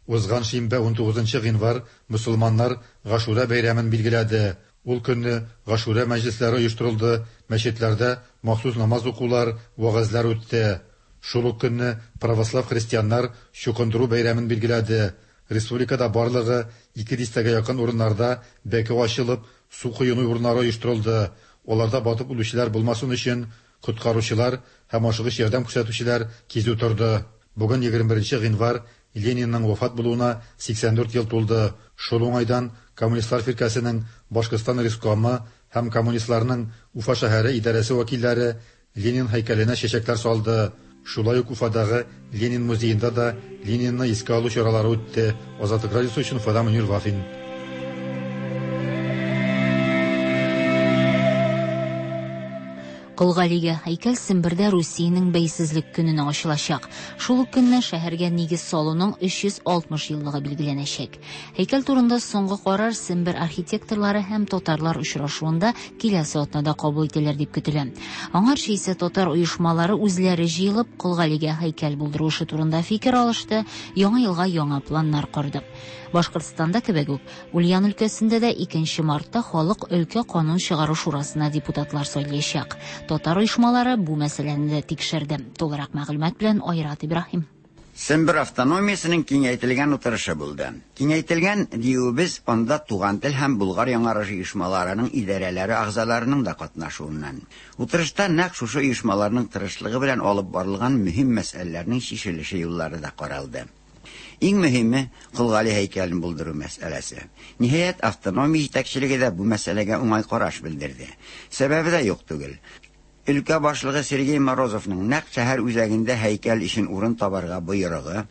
Узган шимбә унтугызынчы гыйнвар мөселманнар Гашура бәйрәмен билгеләде. Ул көнне Гашура мәҗлесләре оештырылды, мәчетләрдә махсус намаз укулар, вәгазьләр үтте. Шул ук көнне православ христианнар Чукындыру бәйрәмен билгеләде. Республикада барлыгы ике дистәгә якын урыннарда бәке ачылып, су коену урыннары оештырылды. Аларда батып үлүчеләр булмасын өчен коткаручылар һәм ашыгыч ярдәм күрсәтүчеләр кизү торды. Бүген егерме беренче гыйнвар Ленинның вафат булуына сиксән дүрт ел тулды. Шул уңайдан Коммунистлар фиркәсенең Башкортстан рескомы һәм коммунистларның Уфа шәһәре идарәсе вәкилләре Ленин һәйкәленә чәчәкләр салды. Шулай ук Уфадагы Ленин музеенда да Ленинны искә алу чаралары үтте. Азатлык радиосы өчен Уфадан Мөнир Вафин. Кол Галигә һәйкәл Сембердә Русиянең бәйсезлек көненә ачылачак. Шул ук көнне шәһәргә нигез салуның өч йөз алтмыш еллыгы билгеләнәчәк. Һәйкәл турында соңгы карар Сембер архитекторлары һәм татарлар очрашуында киләсе атнада кабул ителер дип көтелә. Аңарчы исә татар оешмалары үзләре җыелып Кол Галигә һәйкәл булдыру эше турында фикер алышты, яңа елга яңа планнар корды. Башкортстанда кебек үк, Ульян өлкәсендә дә икенче мартта халык өлкә канун чыгару шурасына депутатлар сайлаячак. Татар оешмалары бу мәсьәләне дә тикшерде. Тулырак мәгълүмат белән Айрат Ибраһим. Сембер автономиясенең киңәйтелгән утырышы булды. Киңәйтелгән диюебез анда Туган тел һәм Болгар яңарышы оешмаларының идарәләре әгъзаларының да катнашуыннан. Утырышта нәкъ шушы оешмаларның тырышлыгы белән алып барылган мөһим мәсьәләләрнең чишелеше юллары да каралды. Иң мөһиме Кол Гали һәйкәлен булдыру мәсьәләсе. Ниһаять, автономия җитәкчелеге дә бу мәсьәләгә уңай караш белдерде. Сәбәбе дә юк түгел. Өлкә башлыгы Сергей Морозовның нәкъ шәһәр үзәгендә һәйкәл өчен урын табарга боерыгы,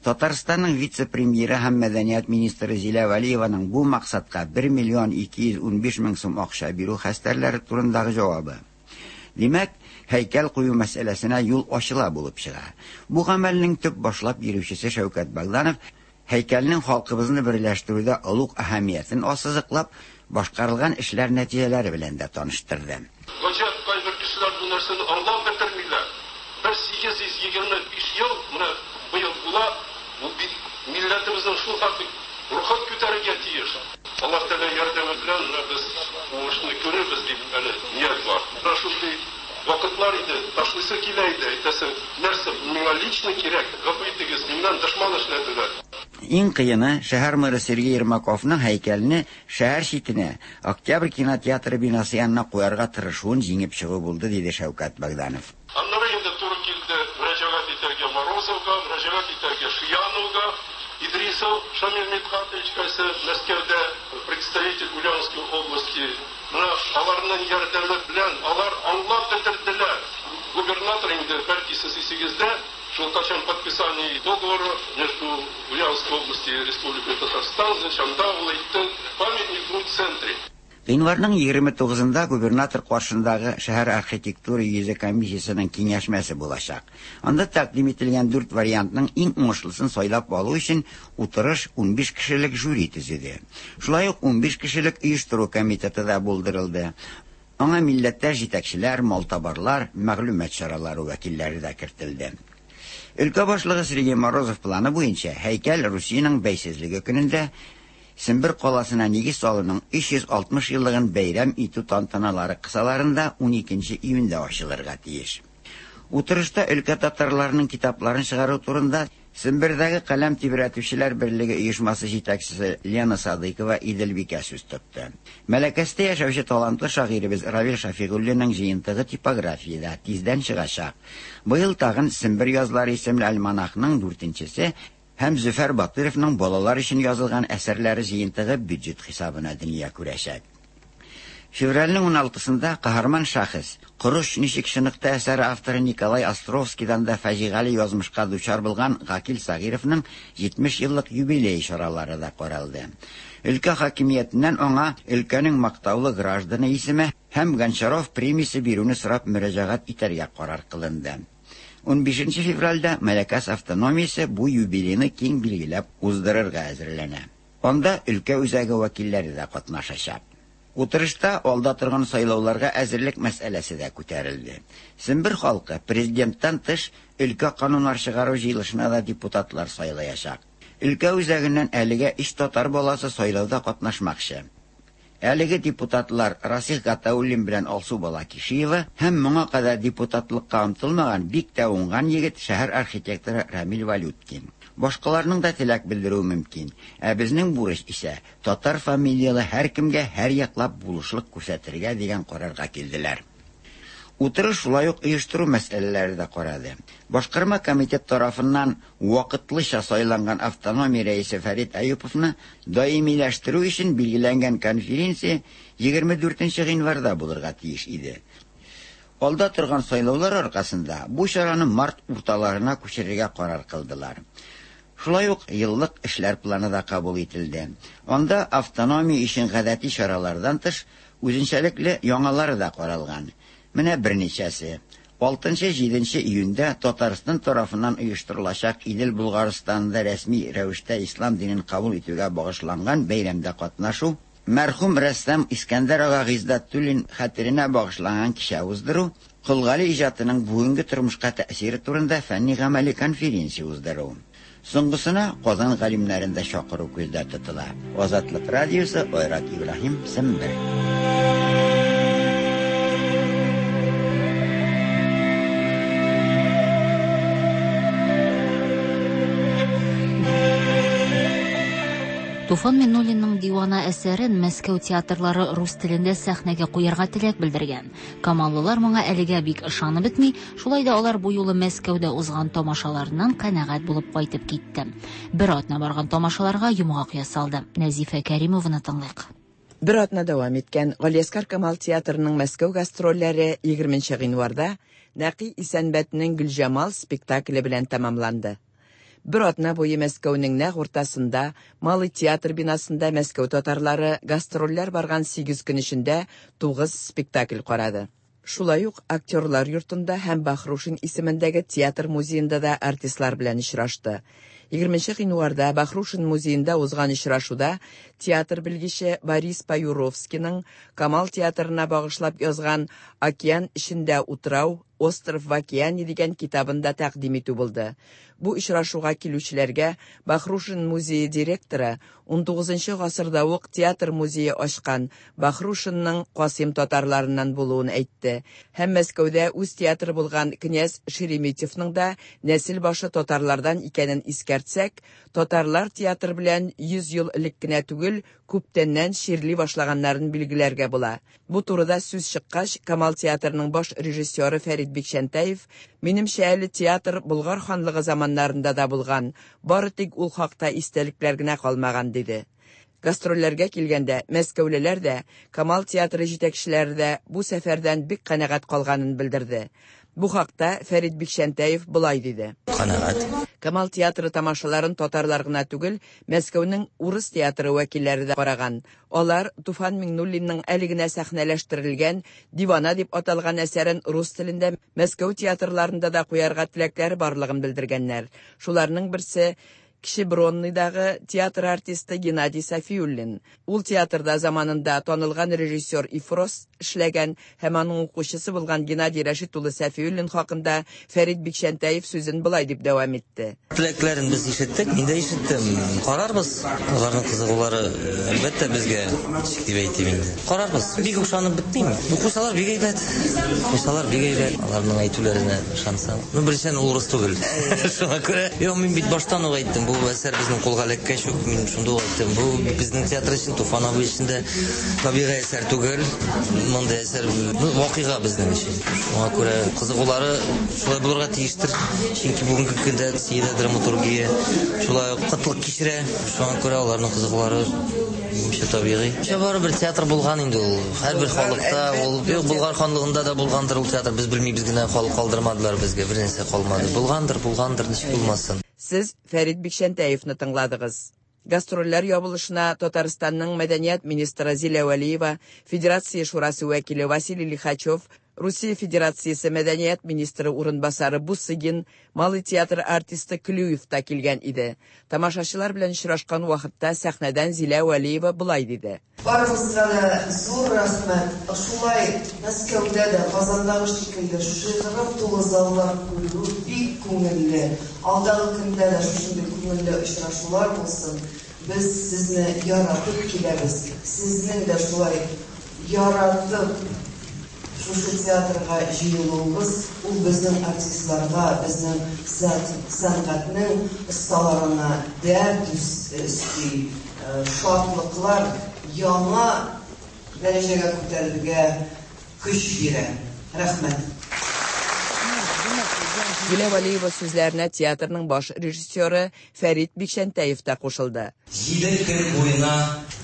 Татарстанның вице-премьеры һәм мәдәният министры Зилә Вәлиеваның бу максатка бер миллион ике йөз унбиш мең сум акча бирү хәстәрләре турындагы җавабы. Димәк, һәйкәл кую мәсьәләсенә юл ачыла булып чыга. Бу гамәлнең төп башлап йөрүчесе Шәүкәт Богданов һәйкәлнең халкыбызны берләштерүдә олуг әһәмиятен ассызыклап, башкарылган эшләр нәтиҗәләре белән дә таныштырды. Гаҗәп, кайбер кешеләр бу нәрсәне аңлап бетермиләр. Бер сигез йөз егерме биш ел менә быел була, бу бит милләтебезнең шул хәтле рухын күтәрергә тиеш. Аллаһ Тәгалә ярдәме белән менә без уңышны күрербез дип әле ният бар. Менә шундый вакытлар иде, ташлыйсы килә иде, әйтәсең, нәрсә миңа лично кирәк, гафу итегез, миннән дошман эшләделәр. Иң кыены шәһәр мэры Сергей Ермаковның һәйкәлне шәһәр читенә, Октябрь кинотеатры бинасы янына куярга тырышуын җиңеп чыгу булды, диде Шәүкәт Богданов. Аннары инде туры килде мөрәҗәгать итәргә Морозовга, мөрәҗәгать итәргә Шияновга, Идрисов Шамил Мидхатович, кайсы Мәскәүдә представитель Ульяновской области. Менә аларның ярдәме белән алар аңлап бетерделәр. Губернатор инде бәлки сез исегездә, шул качан подписание договора между Ульяновской областью и Республикой Татарстан, значит, анда ул әйтте, памятник будет в центре. Гыйнварның егерме тугызында губернатор каршындагы шәһәр архитектура йөзе комиссиясенең киңәшмәсе булачак. Анда тәкъдим ителгән дүрт вариантның иң уңышлысын сайлап алу өчен утырыш унбиш кешелек жюри төзеде. Шулай ук унбиш кешелек оештыру комитеты да булдырылды. Аңа милләттәш җитәкчеләр, малтабарлар, мәгълүмат чаралары вәкилләре дә кертелде. Өлкә башлыгы Сергей Морозов планы буенча һәйкәл Русиянең бәйсезлеге көнендә Сембер каласына нигез салуның өч йөз алтмыш еллыгын бәйрәм итү тантаналары кысаларында уникенче июньдә ачылырга тиеш. Утырышта өлкә татарларының китапларын чыгару турында Сембердәге каләм тибрәтүчеләр берлеге оешмасы җитәкчесе Лена Садыйкова Иделбикә сүз тотты. Мәләкәстә яшәүче талантлы шагыйребез Равил Шафигуллинның җыентыгы типографиядә тиздән чыгачак. Быел тагын Сембер язлары исемле альманахның дүртенчесе һәм Зөфәр Батыровның балалар өчен язылган әсәрләре җыентыгы бюджет хисабына дөнья күрәчәк. Февральнең уналтысында каһарман шәхес, Корыч ничек чыныкты әсәре авторы Николай Островскийдан да фаҗигале язмышка дучар булган Гакил Сагировның җитмеш еллык юбилей чаралары да каралды. Өлкә хакимиятеннән аңа өлкәнең мактаулы гражданы исеме һәм Гончаров премиясе бирүне сорап мөрәҗәгать итәргә карар кылынды. Унбишенче февральдә Мәләкәс автономиясе бу юбилейны киң билгеләп уздырырга әзерләнә. Анда өлкә үзәге вәкилләре дә катнашачак. Утырышта алда торган сайлауларга әзерлек мәсьәләсе дә күтәрелде. Сембер халкы президенттан тыш өлкә кануннар чыгару җыелышына да депутатлар сайлаячак. Өлкә үзәгеннән әлегә өч татар баласы сайлауда катнашмакчы. Әлеге депутатлар Расих Гатауллин белән Алсу Балакишиева һәм моңа кадәр депутатлыкка омтылмаган бик тә уңган егет шәһәр архитекторы Рамил Валюткин. Башкаларның да теләк белдерүе мөмкин. Ә безнең бурыч исә татар фамилиялы һәркемгә һәр яклап булышлык күрсәтергә дигән карарга килделәр. Утырыш шулай ук оештыру мәсьәләләре дә карады. Башкарма комитет тарафыннан вакытлыча сайланган автономия рәисе Фәрит Әюповны даимиләштерү өчен билгеләнгән конференция егерме дүртенче гыйнварда булырга тиеш иде. Алда торган сайлаулар аркасында бу чараны март урталарына күчерергә карар кылдылар. Шулай ук еллык эшләр планы да кабул ителде. Анда автономия өчен гадәти чаралардан тыш үзенчәлекле яңалары да каралган. Менә берничәсе. Алтынчы-җиденче июньдә Татарстан тарафыннан оештырылачак Идел Булгарстанда рәсми рәвештә ислам динен кабул итүгә багышланган бәйрәмдә катнашу, мәрхүм рәссам Искәндәр ага Гыйздәтуллин хәтеренә багышланган кичә уздыру, Кол Гали иҗатының бүгенге тормышка тәэсире турында фәнни гамәли конференция уздыру. Соңгысына Казан галимнәрен дә чакыру күздә тотыла. Азатлык радиосы, Айрат Ибраһим, Сембер. Туфан Миңнуллинның Дивана әсәрен Мәскәү театрлары рус телендә сәхнәгә куярга теләк белдергән. Камаллылар моңа әлегә бик ышанып бетми, шулай да алар бу юлы Мәскәүдә узган тамашаларыннан канәгать булып кайтып китте. Бер атна барган тамашаларга йомгак ясалды. Нәзифә Кәримованы тыңлыйк. Бер атна дәвам иткән Галиәсгар Камал театрының Мәскәү гастрольләре егерменче гыйнварда Нәкый Исәнбәтнең Гөлҗамал спектакле белән тәмамланды. Бер атна буе Мәскәүнең нәкъ уртасында Малый театр бинасында Мәскәү татарлары гастрольләр барган сигез көн эчендә тугыз спектакль карады. Шулай ук актерлар йортында һәм Бахрушин исемендәге театр музеенда да артистлар белән очрашты. егерменче гыйнварда Бахрушин музеенда узган очрашуда театр белгече Борис Паюровскийның Камал театрына багышлап язган «Океан эчендә утрау», «Остров в океане» дигән китабын да тәкъдим итү булды. Бу очрашуга килүчеләргә Бахрушин музее директоры унтугызынчы гасырда ук театр музее ачкан Бахрушинның Касыйм татарларыннан булуын әйтте. Һәм Мәскәүдә үз театры булган князь Шереметьевның да нәсел башы татарлардан икәнен искәртсәк, татарлар театр белән йөз ел элек кенә түгел, күптәннән чирли башлаганнарын билгеләргә була. Бу турыда сүз чыккач, Камал театрының баш режиссеры Фәрит Бикчәнтәев, минемчә әле театр Болгар ханлыгы заманнарында да булган, бары тик ул хакта истәлекләр генә калмаган, диде. Гастрольләргә килгәндә, мәскәүлеләр дә, Камал театры җитәкчеләре дә бу сәфәрдән бик канәгать калганын белдерде. Бу хакта Фәрит Бикчәнтәев болай диде. Канәгать. Камал театры тамашаларын татарлар гына түгел, Мәскәүнең урыс театры вәкилләре дә караган. Алар Туфан Миңнуллинның әле генә сәхнәләштерелгән Дивана дип аталган әсәрен рус телендә Мәскәү театрларында да куярга теләкләре барлыгын белдергәннәр. Шуларның берсе Кече Бронныйдагы театр артисты Геннадий Сафиуллин. Ул театрда заманында танылган режиссер Ифрос эшләгән һәм аның укучысы булган Геннадий Рәшит улы Сафиуллин хакында Фәрит Бикчәнтәев сүзен болай дип дәвам итте. Теләкләрен без ишеттек, мин дә ишеттем. Карарбыз. Аларның кызыгулары әлбәттә безгә, ничек дип әйтим инде. Карарбыз. Бик ышанып бетмим. Укучылар бик әйбәт. Укучылар бик әйбәт. Аларның әйтүләренә ышансаң. Ну, беренчедән ул урыс түгел. Шуңа күрә, юк, мин бит баштан ук әйттем. Бу әсәр безнең кулга эләккәч үк мин шунда ук әйттем. Бу безнең театр өчен, Туфан абый өчен дә табигый әсәр түгел. Мондый әсәр, ну, вакыйга безнең өчен. Шуңа күрә кызыгулары шулай булырга тиештер. Чөнки бүгенге көндә Россиядә драматургия шулай ук кытлык кичерә. Шуңа күрә аларның кызыгулары минемчә табигый. Барыбер театр булган инде ул. Һәрбер халыкта ул, юк, Болгар ханлыгында да булгандыр ул театр. Без белмибез генә, халык калдырмадылар безгә, бер нәрсә калмады. Булгандыр, булгандыр, ничек булмасын. Сез Фәрит Бикчәнтәевны тыңладыгыз. Гастрольләр ябылышына Татарстанның мәдәният министры Зилә Вәлиева, Федерация шурасы вәкиле Василий Лихачев, Русия Федерациясе мәдәният министры урынбасары Бусыгин, Малый театр артисты Клюев та килгән иде. Тамашачылар белән очрашкан вакытта сәхнәдән Зилә Вәлиева болай диде. Барыгызга да зур рәхмәт. Шулай Мәскәүдә дә, Казандагы шикелле шыгрым тулы заллар күрү бик күңелле. Алдагы көндә дә шушындый күңелле очрашулар булсын. Без сезне яратып киләбез. Сезнең дә шулай яратып шушы театрга җыелуыбыз, ул безнең артистларга, безнең сәнгатьнең осталарына дәрт өсти, шатлыклар яңа дәрәҗәгә күтәрергә көч бирә. Рәхмәт. Зилә Вәлиева сүзләренә театрның баш режиссеры Фәрит Бикчәнтәев та кушылды. Җиде көн буена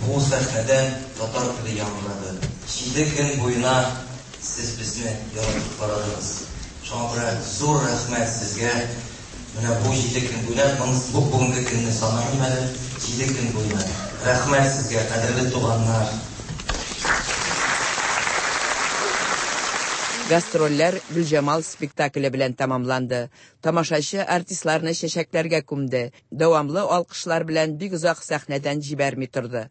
бу сәхнәдән татар теле яңгырады. Җиде көн буена сез безне яратып карадыгыз. Шуңа күрә зур рәхмәт сезгә. Менә бу җиде көн буена, бу бүгенге көнне санамыйм әле, җиде көн буена. Рәхмәт сезгә, кадерле туганнар. Гастрольләр Гөлҗамал спектакле белән тәмамланды. Тамашачы артистларны чәчәкләргә күмде. Дәвамлы алкышлар белән бик озак сәхнәдән җибәрми торды.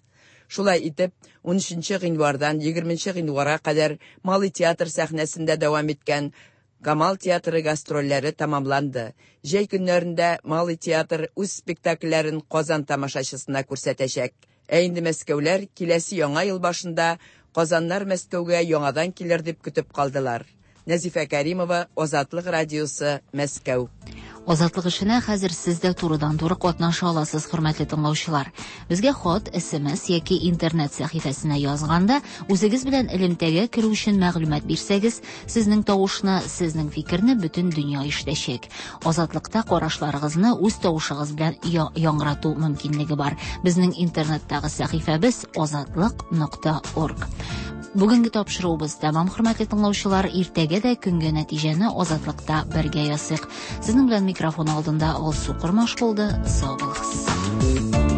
Шулай итеп, унөченче гыйнвардан егерменче гыйнварга кадәр Малый театр сәхнәсендә дәвам иткән Камал театры гастрольләре тәмамланды. Җәй көннәрендә Малый театр үз спектакльләрен Казан тамашачысына күрсәтәчәк. Ә инде мәскәүләр киләсе яңа ел башында Казаннар Мәскәүгә яңадан килер дип көтеп калдылар. Нәзифә Кәримова, Азатлык радиосы, Мәскәү. Азатлык эшенә хәзер сез дә турыдан-туры катнаша аласыз, хөрмәтле тыңлаучылар. Безгә хат, С М С яки интернет сәхифәсенә язганда, үзегез белән элемтәгә керү өчен мәгълүмат бирсәгез, сезнең тавышны, сезнең фикерне бөтен дөнья ишетәчәк. Азатлыкта карашларыгызны үз тавышыгыз белән яңгырату мөмкинлеге бар. Безнең интернеттагы сәхифәбез азатлык нокта орг. Бүгенге тапшыруыбыз тәмам, хөрмәтле тыңлаучылар. Иртәгә дә көнгә нәтиҗәне Азатлыкта бергә ясыйк. Сезнең белән микрофон алдында Алсу Кормаш булды. Сау булыгыз.